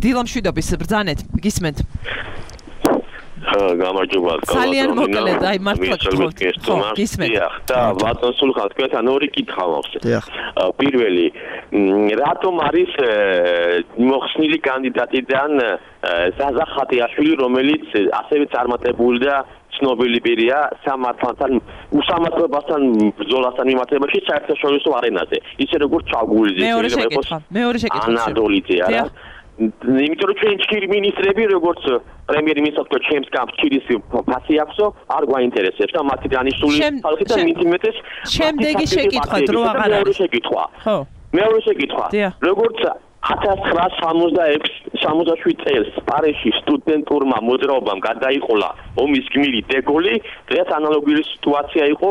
დილამშვიდობის ბრძანეთ, გისმენთ? გამარჯობა. ძალიან მოკლედ, აი მართლა გთხოვთ. გისმენთ. და ბატონ სულხან, თქვენთან ორი კითხვა მოვხსენე. პირველი, რატომ არის მოხსნილი კანდიდატიდან ზაზა ხატიაშვილი, რომელიც ასევე წარმატებული და ცნობილი პირია სამართალთან, უსამართლობასთან ბრძოლასთან მიმართებაში საერთაშორისო არენაზე. ისე როგორც ჩაგულიძე, მეორე შეკითხვა. ანადოლიძე არა. იმიტომ რომ ჩვენ ჩქირი მინისტრები, როგორც პრემიერ-მინისტრს ჩემს გამს ჩქირის ფასი აქვსო, არ გვაინტერესებს და მათი დანიშნული ხალხი და მითიმეტეს. შემდეგი შეკითხვა დრო აღარ არის. მეორე შეკითხვა. როგორც 1966 წელს პარიზში სტუდენტურმა მოძრაობამ გადაიყოლა ომის გმირი დეგოლი, დღეს ანალოგიური სიტუაცია იყო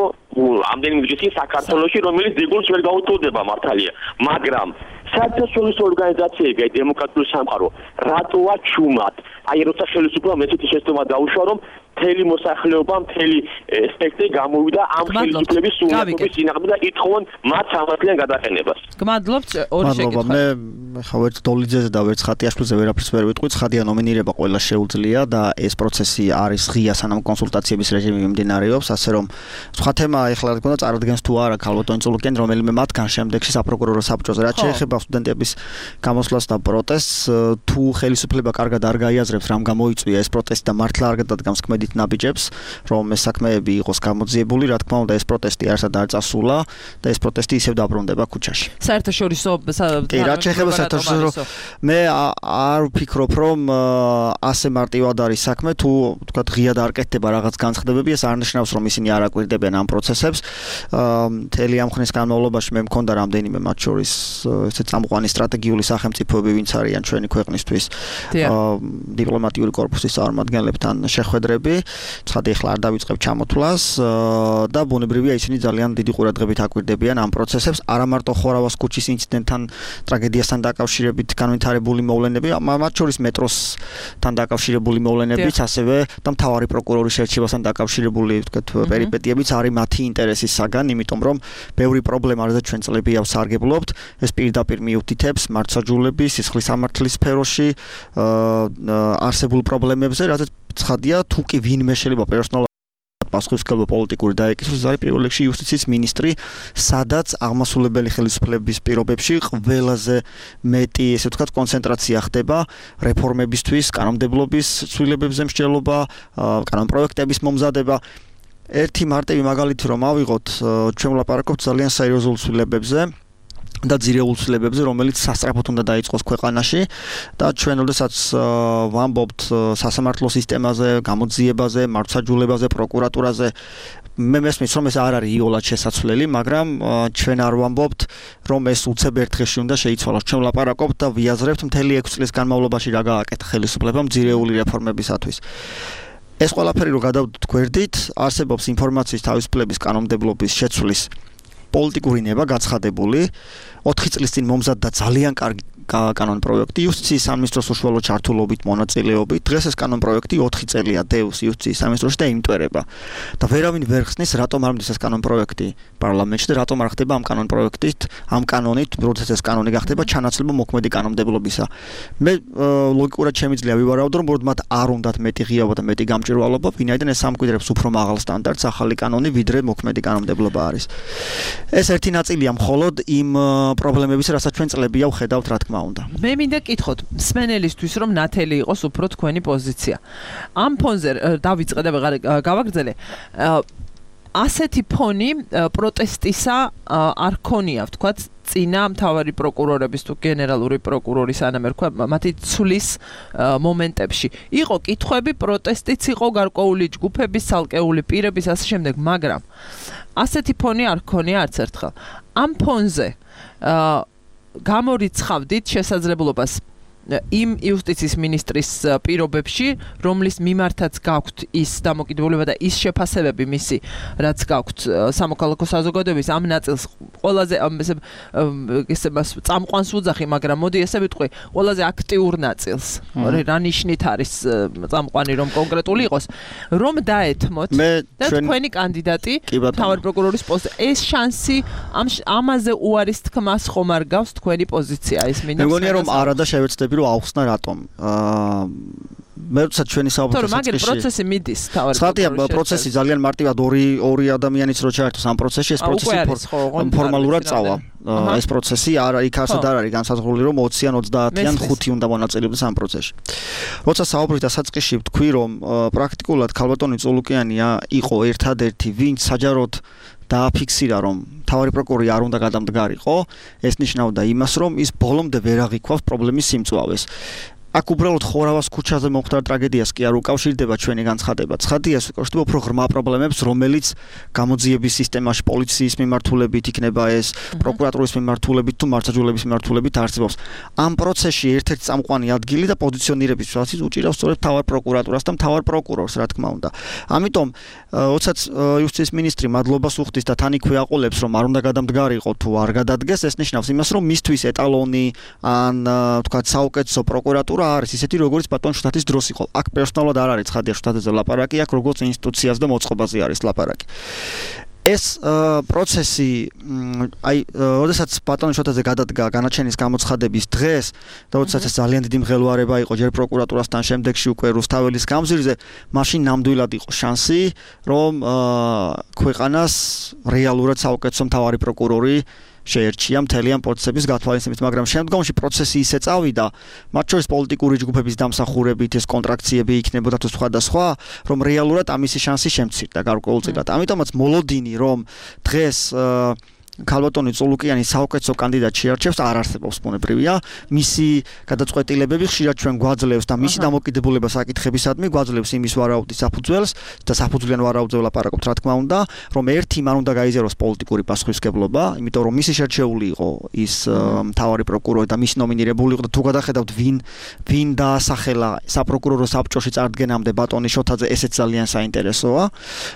ამდენიმე დღის წინ საქართველოში, რომელიც დეგოლს ვერ გაუტოლდება მართალია, მაგრამ საერთაშორისო ორგანიზაციები, აი დემოკრატიული სამყარო, რატოა ჩუმად? აი როცა ხელისუფლებამ ესეთი შეცდომა დაუშვა, რომ მთელი მოსახლეობა, მთელი სპექტრი გამოვიდა ამ ხელისუფლების სულისკვეთის წინააღმდეგ და ითხოვენ მათ სამართლიან გადაყენებას. გმადლობთ, ორი შეკითხვა. მე ხა ვერც დოლიძეზე და ვერც ხატიაშვილზე ვერაფერს ვერ ვიტყვი, ცხადია ნომინირება ყველა შეუძლია და ეს პროცესი არის ღია, სანამ კონსულტაციების რეჟიმი მიმდინარეობს, ასე რომ სხვა თემა ეხლა რა თქმა უნდა წარადგენს თუ არა ქალბატონი წულუკენ, რომელიმე მათგან შემდეგში საპროკურორო საბჭოზე, რაც შეეხება სტუდენტების გამოსვლას და პროტესტს, თუ ხელისუფლება კარგად არ გაიაზრებს, რამ გამოიწვია ეს პროტესტი და მართლა არ გადადგამს ქმედით ნაბიჯებს, რომ ეს საქმეები იყოს გამოძიებული, რა თქმა უნდა ეს პროტესტი არსად არ წასულა და ეს პროტესტი ისევ დაბრუნდება ქუჩაში. საერთაშორისო რაც შეეხება საერთაშორისო მე არ ვფიქრობ, რომ ასე მარტივად არის საქმე, თუ ვთქვათ ღიად არ კეთდება რაღაც განცხადებები, ეს არ ნიშნავს, რომ ისინი არ აკვირდებიან ამ პროცესებს. მთელი ამ ხნის განმავლობაში მე მქონდა რამდენიმე მათ შორის ესე წამყვანი სტრატეგიული სახელმწიფოები, ვინც არიან ჩვენი ქვეყნისთვის დიპლომატიური კორპუსის წარმომადგენლებთან შეხვედრები. ცხადია ახლა არ დავიწყებ ჩამოთვლას და ბუნებრივია ისინი ძალიან დიდი ყურადღებით აკვირდებიან ამ პროცესებს, არა მარტო ხორავას ქუჩის ინციდენტთან, ტრაგედიასთან დაკავშირებით განვითარებული მოვლენები, მათ შორის მეტროსთან დაკავშირებული მოვლენებიც, ასევე და მთავარი პროკურორის შერჩევასთან დაკავშირებული ვთქვათ პერიპეტიებიც არის მათი ინტერესის საგან, იმიტომ რომ ბევრი პრობლემა, რაზეც ჩვენ წლები ავსარგებლობთ, ეს პირდაპირ მიუთითებს მართლმსაჯულების, სისხლის სამართლის სფეროში არსებულ პრობლემებზე, რაზეც ცხადია, თუ კი ვინმე შეიძლება პერსონალურად პასუხისმგებლობა პოლიტიკური დაეკისროს, არის პირველ რიგში იუსტიციის მინისტრი, სადაც აღმასრულებელი ხელისუფლების პირობებში ყველაზე მეტი, ესე ვთქვათ, კონცენტრაცია ხდება რეფორმებისთვის, კანონმდებლობის ცვლილებებზე მსჯელობა, კანონპროექტების მომზადება. ერთი მარტივი მაგალითი რომ ავიღოთ, ჩვენ ვლაპარაკობთ ძალიან სერიოზულ ცვლილებებზე და ძირეულ ცვლილებებზე, რომელიც სასწრაფოდ უნდა დაიწყოს ქვეყანაში და ჩვენ როდესაც ვამბობთ სასამართლო სისტემაზე, გამოძიებაზე, მართლმსაჯულებაზე, პროკურატურაზე, მე მესმის რომ ეს არ არის იოლად შესაძლებელი, მაგრამ ჩვენ არ ვამბობთ რომ ეს უცებ ერთ დღეში უნდა შეიცვალოს. ჩვენ ვლაპარაკობთ და ვიაზრებთ მთელი 6 წლის განმავლობაში რა გააკეთა ხელისუფლებამ ძირეული რეფორმებისათვის. ეს ყველაფერი რო გადავდოთ გვერდით, არსებობს ინფორმაციის თავისუფლების კანონმდებლობის შეცვლის პოლიტიკური ნება გაცხადებული 4 წლის წინ მომზადდა ძალიან კარგი კანონპროექტი იუსტიციის სამინისტროს უშუალო ჩართულობით მონაწილეობით. დღეს ეს კანონპროექტი 4 წელია დევს იუსტიციის სამინისტროში და იმტვერება. და ვერავინ ვერ ხსნის რატომ არ მდის ეს კანონპროექტი პარლამენტში და რატომ არ ხდება ამ კანონპროექტით, ამ კანონით, როდესაც ეს კანონი გახდება ჩანაცვლება მოქმედი კანონმდებლობისა. მე ლოგიკურად შემიძლია ვივარაუდო, რომ უბრალოდ მათ არ უნდათ მეტი ღიაობა და მეტი გამჭვირვალობა, ვინაიდან ეს ამკვიდრებს უფრო მაღალ სტანდარტს ახალი კანონი, ვიდრე მოქმედი კანონმდებლობა არის. ეს ერთი ნაწილია მხოლოდ იმ პრობლემებისა, რასაც ჩვენ წლებია ვხედავთ, რა თქმა უნდა. მე მინდა კითხოთ მსმენელისთვის, რომ ნათელი იყოს უფრო თქვენი პოზიცია. ამ ფონზე დავიწყე და ვეღარ გავაგრძელე. ასეთი ფონი პროტესტისა არ ქონია, ვთქვათ, წინა მთავარი პროკურორების თუ გენერალური პროკურორის ანამერქვა მათი ცვლის მომენტებში. იყო კითხვები, პროტესტიც იყო გარკვეული ჯგუფების, ცალკეული პირების ასე შემდეგ, მაგრამ ასეთი ფონი არ ქონია არც ერთხელ. ამ ფონზე გამორიცხავდით შესაძლებლობას იმ იუსტიციის მინისტრის პირობებში, რომლის მიმართაც გაქვთ ის დამოკიდებულება და ის შეფასებები მისი, რაც გაქვთ სამოქალაქო საზოგადოების ამ ნაწილს ყველაზე ესე წამყვანს ვუძახი, მაგრამ მოდი ესე ვიტყვი, ყველაზე აქტიურ ნაწილს. რა ნიშნით არის წამყვანი რომ კონკრეტული იყოს, რომ დაეთმოთ და თქვენი კანდიდატი მთავარი პროკურორის პოსტზე. ეს შანსი ამაზე უარის თქმას ხომ არ გავს თქვენი პოზიცია ის მინდა. მეგონია რომ არა და შევეცდები რომ ავხსნა რატომ. მე როცა ჩვენი საუბრის წესში პროცესი მიდის თავად პროცესი ძალიან მარტივად ორი ადამიანიც რო ჩაერთოს ამ პროცესში, ეს პროცესი ფორმალურად წავა. ეს პროცესი იქ არსად არ არის განსაზღვრული რომ 20-ან 30-იან 5 უნდა მონაწილეობდეს ამ პროცესში. როცა საუბრის დასაწყისში ვთქვი რომ პრაქტიკულად ქალბატონი წულუკიანია იყო ერთადერთი ვინც საჯაროდ დააფიქსირა რომ მთავარი პროკურორი არ უნდა გადამდგარიყო, ეს ნიშნავდა იმას რომ ის ბოლომდე ვერ აღიქვავს პრობლემის სიმწვავეს. აქ უბრალოდ ხორავას ქუჩაზე მომხდარ ტრაგედიას კი არ უკავშირდება ჩვენი განცხადება. ცხადია, უკავშირდება უფრო ღრმა პრობლემებს, რომელიც გამოძიების სისტემაში პოლიციის მიმართულებით იქნება ეს, პროკურატურის მიმართულებით თუ მართლმსაჯულების მიმართულებით არსებობს. ამ პროცესში ერთ-ერთი წამყვანი ადგილი და პოზიციონირების პროცესი უჭირავს სწორედ მთავარ პროკურატურას და მთავარ პროკურორს, რა თქმა უნდა. ამიტომ, როდესაც იუსტიციის მინისტრი მადლობას უხდის და თან იქვე აყოლებს, რომ არ უნდა გადამდგარიყო თუ არ გადადგეს, ეს ნიშნავს იმას, რომ მისთვის ეტალონი ან თქვა საუკეთესო პროკურატურა არის ისეთი როგორც ბატონ შტატის დროს იყო. აქ პერსონალურად არ არის ცხადია შტატზე ლაპარაკი, აქ როგორც ინსტიტუციას და მოწყობაზე არის ლაპარაკი. ეს პროცესი როდესაც ბატონ შტატზე გადადგა განაჩენის გამოცხადების დღეს და როდესაც ეს ძალიან დიდი მღელვარება იყო ჯერ პროკურატურასთან, შემდეგში უკვე რუსთაველის გამზირზე, მაშინ ნამდვილად იყო შანსი, რომ ქვეყანას რეალურად საუკეთესო მთავარი პროკურორი შეერჩია მთელი ამ პროცესების გათვალისწინებით, მაგრამ შემდგომში პროცესი ისე წავიდა, მათ შორის პოლიტიკური ჯგუფების დამსახურებით ეს კონტრაქციები იქნებოდა თუ სხვადასხვა, რომ რეალურად ამისი შანსი შემცირდა გარკვეულწილად. ამიტომაც მოლოდინი, რომ დღეს ქალბატონი წულუკიანი საუკეთესო კანდიდატი შეარჩევს, არ არსებობს ბუნებრივია. მისი გადაწყვეტილებები ხშირად ჩვენ გვაძლევს და მისი დამოკიდებულება საკითხებისადმი გვაძლევს იმის ვარაუდის საფუძველს და საფუძვლიან ვარაუდზე ვლაპარაკობთ, რა თქმა უნდა, რომ ერთი მან უნდა გაიზიაროს პოლიტიკური პასუხისმგებლობა, იმიტომ რომ მისი შერჩეული იყო ის მთავარი პროკურორი და მისი ნომინირებული იყო და თუ გადახედავთ ვინ დაასახელა საპროკურორო საბჭოში წარდგენამდე ბატონი შოთაძე, ესეც ძალიან საინტერესოა,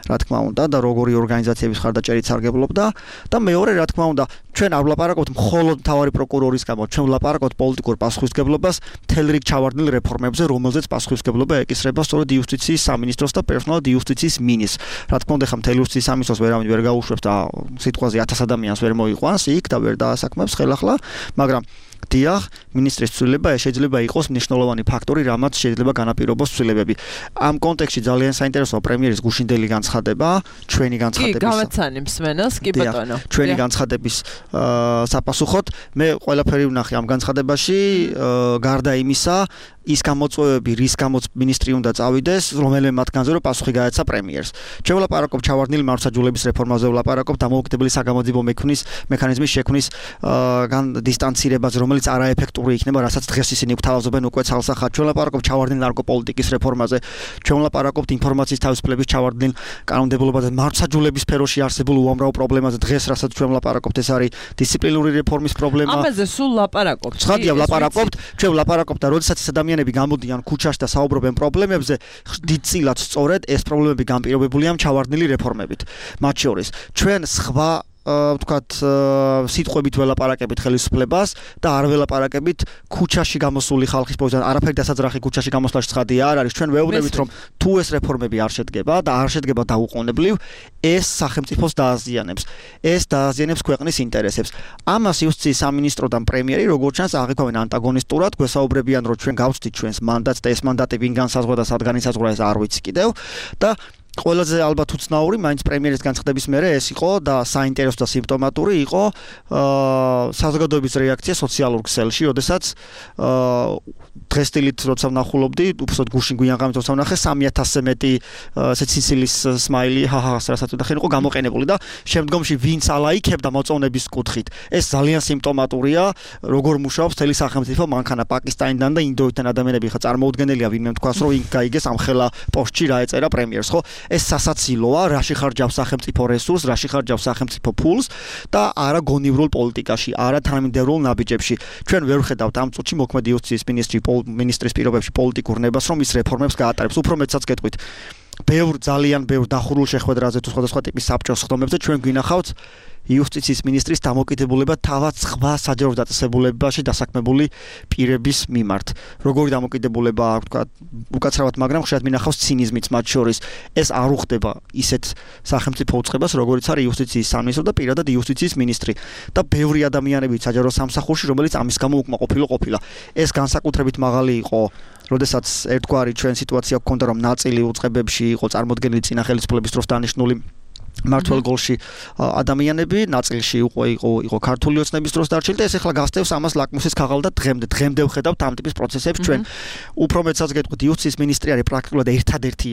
რა თქმა უნდა, და როგორი ორგანიზაციების ხარდაჭერით სარგებლობდა და მეორე რა თქმა უნდა, ჩვენ არ ვლაპარაკობთ მხოლოდ მთავარი პროკურორის გამო, ჩვენ ვლაპარაკობთ პოლიტიკურ პასუხისმგებლობას მთელ რიგ ჩავარდნილ რეფორმებზე, რომელზეც პასუხისმგებლობა ეკისრება სწორედ იუსტიციის სამინისტროს და პერსონალად იუსტიციის მინისტრს. რა თქმა უნდა, ხა მთელი იუსტიციის სამინისტროს ვერავინ ვერ გაუშვებს და სიტყვაზე 1000 ადამიანს ვერ მოიყვანს იქ და ვერ დაასაქმებს ხელახლა, მაგრამ დიახ, მინისტრის ცვლილება შეიძლება იყოს მნიშვნელოვანი ფაქტორი, რამაც შეიძლება განაპირობოს ცვლილებები. ამ კონტექსტში ძალიან საინტერესოა პრემიერის გუშინდელი განცხადება, ჩვენი განცხადების. კი, გავაცანი მსმენელს, კი ბატონო. ჩვენი განცხადების საპასუხოდ მე ყველაფერი ვნახე ამ განცხადებაში, გარდა იმისა, ის გამოწვევები, რის გამოც მინისტრი უნდა წავიდეს, რომელიმე მათგანზე რომ პასუხი გაეცა პრემიერს. ჩვენ ვლაპარაკობ ჩავარდნილი მართლმსაჯულების რეფორმაზე, ვლაპარაკობ დამოუკიდებელი საგამოძიებო მექანიზმის შექმნის დისტანცირებას, რომელიც არაეფექტური იქნება, რასაც დღეს ისინი გვთავაზობენ უკვე ცალსახად. ჩვენ ვლაპარაკობ ჩავარდნილ ნარკოპოლიტიკის რეფორმაზე, ჩვენ ვლაპარაკობთ ინფორმაციის თავისუფლების ჩავარდნილ კანონმდებლობაზე, მართლმსაჯულების სფეროში არსებულ უამრავ პრობლემაზე. დღეს რასაც ჩვენ ვლაპარაკობთ, ეს არის დისციპლინური რეფორმის პრობლემა. ამაზე სულ ვლაპარაკობთ. ცხადია, ვლაპარაკობთ. ჩვენ ვლაპარაკობთ და როდესაც ეს ადამიანები გამოდიან ქუჩაში და საუბრობენ პრობლემებზე, დიდწილად სწორედ ეს პრობლემები განპირობებულია ჩავარდნილი რეფორმებით. მათ შორის ჩვენ სხვა ვთქვათ სიტყვებით ველაპარაკებით ხელისუფლებას და არ ველაპარაკებით ქუჩაში გამოსული ხალხის პოზიციაზე. არაფერი დასაძრახი ქუჩაში გამოსვლაში ცხადია არ არის. ჩვენ ვეუბნებით რომ თუ ეს რეფორმები არ შედგება და არ შედგება დაუყოვნებლივ, ეს სახელმწიფოს დააზიანებს. ეს დააზიანებს ქვეყნის ინტერესებს. ამას იუსტიციის სამინისტრო და პრემიერი როგორც ჩანს აღიქვამენ ანტაგონისტურად, გვესაუბრებიან რომ ჩვენ გავწვდით ჩვენს მანდატს და ეს მანდატი ვინ განსაზღვრა და სად განისაზღვრა ეს არ ვიცი კიდევ და ყველაზე ალბათ უცნაური მაინც პრემიერის განცხადების მერე ეს იყო და საინტერესო და სიმპტომატური იყო საზოგადოების რეაქცია სოციალურ ქსელში, როდესაც დღესდილით როცა ვნახულობდი, უბრალოდ გუშინ გვიანღამით როცა ვნახე 3000-ზე მეტი ესეთ სიცილის სმაილი, ჰაჰას რასაც ვთქვი, იყო გამოყენებული და შემდგომში ვინც ალაიქებდა მოწონების კუთხით. ეს ძალიან სიმპტომატურია, როგორ მუშაობს მთელი სახელმწიფო მანქანა პაკისტანიდან და ინდოეთიდან ადამიანები ხა წარმოუდგენელია ვინმე თქვას რომ იქ გაიგეს ამ ხელა პოსტში რა ეწერა პრემიერს, ხო? ეს სასაცილოა, რაში ხარჯავს სახელმწიფო რესურსს, რაში ხარჯავს სახელმწიფო ფულს და არა გონივრულ პოლიტიკაში, არა თანამიმდევრულ ნაბიჯებში. ჩვენ ვერ ვხედავთ ამ წუთში მოქმედი იუსტიციის მინისტრის პირობებში პოლიტიკურ ნებას, რომ ის რეფორმებს გაატარებს. უფრო მეტსაც გეტყვით. ძალიან ბევრ დახურულ შეხვედრაზე თუ სხვადასხვა ტიპის საბჭოს ხდომებზე ჩვენ გვინახავთ იუსტიციის მინისტრის დამოკიდებულება თავად სხვა საჯარო დაწესებულებაში დასაქმებული პირების მიმართ. როგორი დამოკიდებულება აქვს, თქვა, უკაცრავად, მაგრამ ხშირად მინახავს ცინიზმიც მათ შორის. ეს არ უხდება ისეთ სახელმწიფო უწყებას, როგორიც არის იუსტიციის სამინისტრო და პირადად იუსტიციის მინისტრი. და ბევრი ადამიანები საჯარო სამსახურში, რომელიც ამის გამო უკმაყოფილო ყოფილა. ეს განსაკუთრებით მაღალი იყო, როდესაც ერთგვარი ჩვენ სიტუაცია გქონდა, რომ ნაწილი უწყებებში იყო წარმოდგენილი წინა ხელისუფლების დროს დანიშნული მართლ გოლში ადამიანები, ნაწილში იყო ქართული ოცნების დროს დარჩენილი და ეს ახლა გასდევს ამას ლაკმუსის ქაღალ და დღემდე ვხედავთ ამ ტიპის პროცესებს ჩვენ. უფრო მეტსაც გეტყვით, იუსტიციის მინისტრი არის პრაქტიკულად ერთადერთი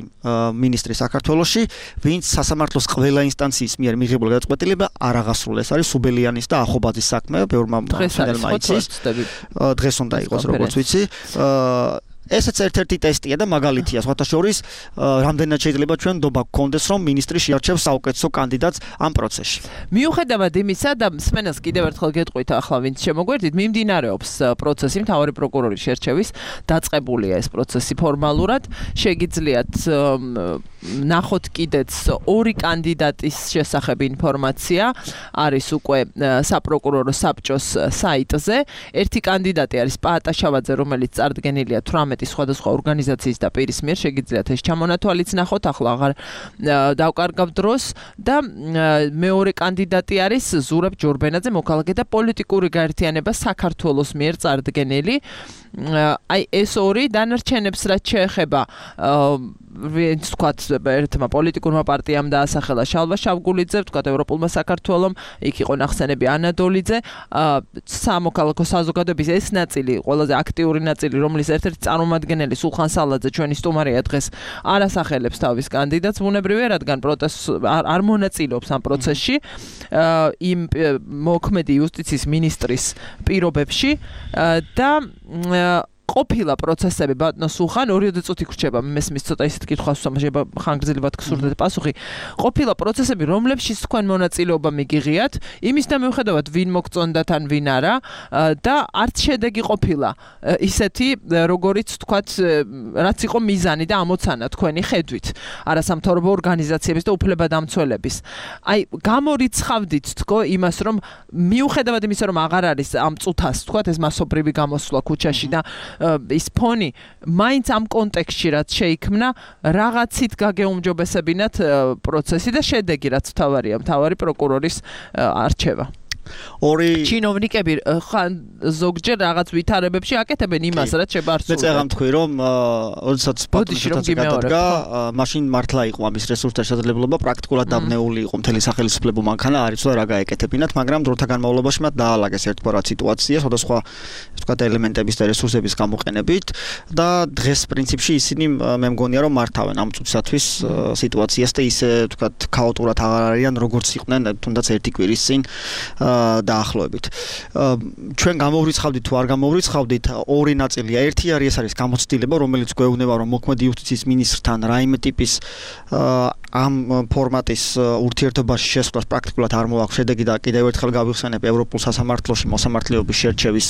მინისტრი საქართველოში, ვინც სასამართლოს ყველა ინსტანციის მიერ მიღებული გადაწყვეტილება არ აღასრულეს. არის სუბელიანის და ახობაძის საქმე, ბევრმა მშენელმა იცის. დღეს უნდა იყოს, როგორც ვიცი. ესეც ერთ-ერთი ტესტია და მაგალითია, სხვათა შორის, რამდენად შეიძლება ჩვენ ნდობა გქონდეს, რომ მინისტრი შეარჩევს საუკეთესო კანდიდატს ამ პროცესში. მიუხედავად იმისა და მსმენელს კიდევ ერთხელ გეტყვით ახლა ვინც შემოგვერდით, მიმდინარეობს პროცესი მთავარი პროკურორის შერჩევის, დაწყებულია ეს პროცესი ფორმალურად. შეგიძლიათ ნახოთ კიდეც ორი კანდიდატის შესახებ ინფორმაცია არის უკვე საპროკურორო საბჭოს საიტზე. ერთი კანდიდატი არის პაატა შავაძე, რომელიც წარდგენილია 18 სხვადასხვა ორგანიზაციის და პირის მიერ. შეგიძლიათ ეს ჩამონათვალიც ნახოთ, ახლა აღარ დავკარგავ დროს და მეორე კანდიდატი არის ზურაბ ჯორბენაძე, მოქალაქე და პოლიტიკური გაერთიანება საქართველოს მიერ წარდგენილი. აი ეს ორი დანარჩენებს რაც შეეხება ვინც თქვათ ერთმა პოლიტიკურმა პარტიამ დაასახელა შალვა შავგულიძე, თქვათ ევროპულმა საქართველომ, იქ იყო ნახსენები ანა დოლიძე, სამოქალაქო საზოგადოების ეს ნაწილი, ყველაზე აქტიური ნაწილი, რომლის ერთ-ერთი წარმომადგენელი სულხან სალაძე ჩვენი სტუმარია დღეს, არ ასახელებს თავის კანდიდატს, ბუნებრივია, რადგან პროტესტს არ მონაწილეობს ამ პროცესში, იმ მოქმედი იუსტიციის მინისტრის პირობებში და ყოფილა პროცესები ბატონო სულხან 2 წუთი გრჩება მესმის ცოტა ისეთ კითხვას ვსამაშება ხანგრძლივად გსურდეთ პასუხი ყოფილა პროცესები რომლებშიც თქვენ მონაწილეობა მიგიღიათ იმის და მიუხედავად ვინ მოგწონდათ ან ვინ არა და არც შედეგი ყოფილა ისეთი როგორიც თქვათ რაც იყო მიზანი და ამოცანა თქვენი ხედვით არასამთავრობო ორგანიზაციების და უფლებადამცველების აი გამორიცხავდით თქო იმას რომ მიუხედავად იმისა რომ აღარ არის ამ წუთას თქვათ ეს მასობრივი გამოსვლა ქუჩაში და ის ფონი მაინც ამ კონტექსტში რაც შეიქმნა რაღაცით გაგეუმჯობესებინათ პროცესი და შედეგი რაც მთავარია მთავარი პროკურორის არჩევა ორი ჩინოვნიკები ხან ზოგჯერ რაღაც ვითარებებში აკეთებენ იმას, რაც შებარსულდება. მე წეგამ თქვი რომ როდესაც პატრონაჟი გადადგა, მაშინ მართლა იყო ამის რესურსთა შესაძლებლობა, პრაქტიკულად დაბნეული იყო მთელი სახელმწიფო მანქანა, არ იცოდა რა გაეკეთებინათ, მაგრამ დროთა განმავლობაში მათ დაალაგეს ერთგვარად სიტუაცია, სხვადასხვა ასე ვთქვათ ელემენტების და რესურსების გამოყენებით და დღეს პრინციპში ისინი მე მგონია რომ მართავენ ამ წუთისათვის სიტუაციას და ისე ვთქვათ ქაოტურად აღარ არიან როგორც იყვნენ თუნდაც ერთი კვირის წინ დაახლოებით. ჩვენ გამოვრიცხავდით თუ არ გამოვრიცხავდით ორი ნაწილია. ერთი არის ეს არის გამოცდილება, რომელიც გვეუბნება რომ მოქმედი იუსტიციის მინისტრთან რაიმე ტიპის ამ ფორმატის ურთიერთობაში შესვლას პრაქტიკულად არ მოაქვს შედეგი და კიდევ ერთხელ გავიხსენებ ევროპულ სასამართლოში მოსამართლეობის შერჩევის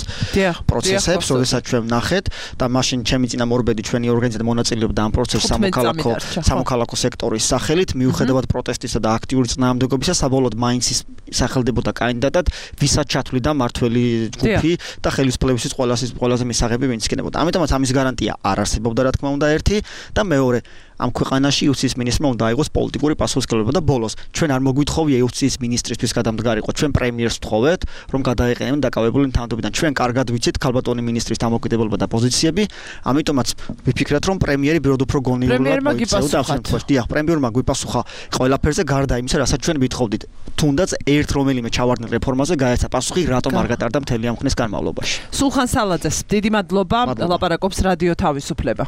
პროცესებს, როდესაც ჩვენ ვნახეთ და მაშინ ჩემი წინამორბედი ჩვენი ორგანიზაცია მონაწილეობდა ამ პროცესში სამოქალაქო სექტორის სახელით, მიუხედავად პროტესტისა და აქტიური წინააღმდეგობისა, საბოლოოდ მაინც სახელდებოდა კანდიდატად, ვისაც ჩათვლიდა მართველი ჯგუფი და ხელისუფლებისთვის ყველაზე მისაღები ვინც იქნებოდა. ამიტომაც ამის გარანტია არ არსებობდა რა თქმა უნდა ერთი და მეორე ამ ქვეყანაში იუსტიციის მინისტრმა უნდა აიღოს პოლიტიკური პასუხისმგებლობა და ბოლოს ჩვენ არ მოგვითხოვია იუსტიციის მინისტრისთვის გადამდგარიყო, ჩვენ პრემიერს ვთხოვეთ, რომ გადაეყენებინ დაკავებული თანამდებობიდან. ჩვენ კარგად ვიცით ქალბატონი მინისტრის დამოკიდებულება და პოზიციები, ამიტომაც ვიფიქრეთ, რომ პრემიერი ბიროდ უფრო გონივრულად მოიქცეოდა ამ შემთხვევაში. დიახ, პრემიერმა გვიპასუხა ყველაფერზე გარდა იმისა, რასაც ჩვენ ვითხოვდით. თუნდაც ერთ რომელიმე ჩავარდნილ რეფორმაზე გაეცა პასუხი, რატომ არ გატარდა მთელი ამ ხნის განმავლობაში. სულხან სალაძეს დიდი მადლობა, ლაპარაკობს რადიო თავისუფლება.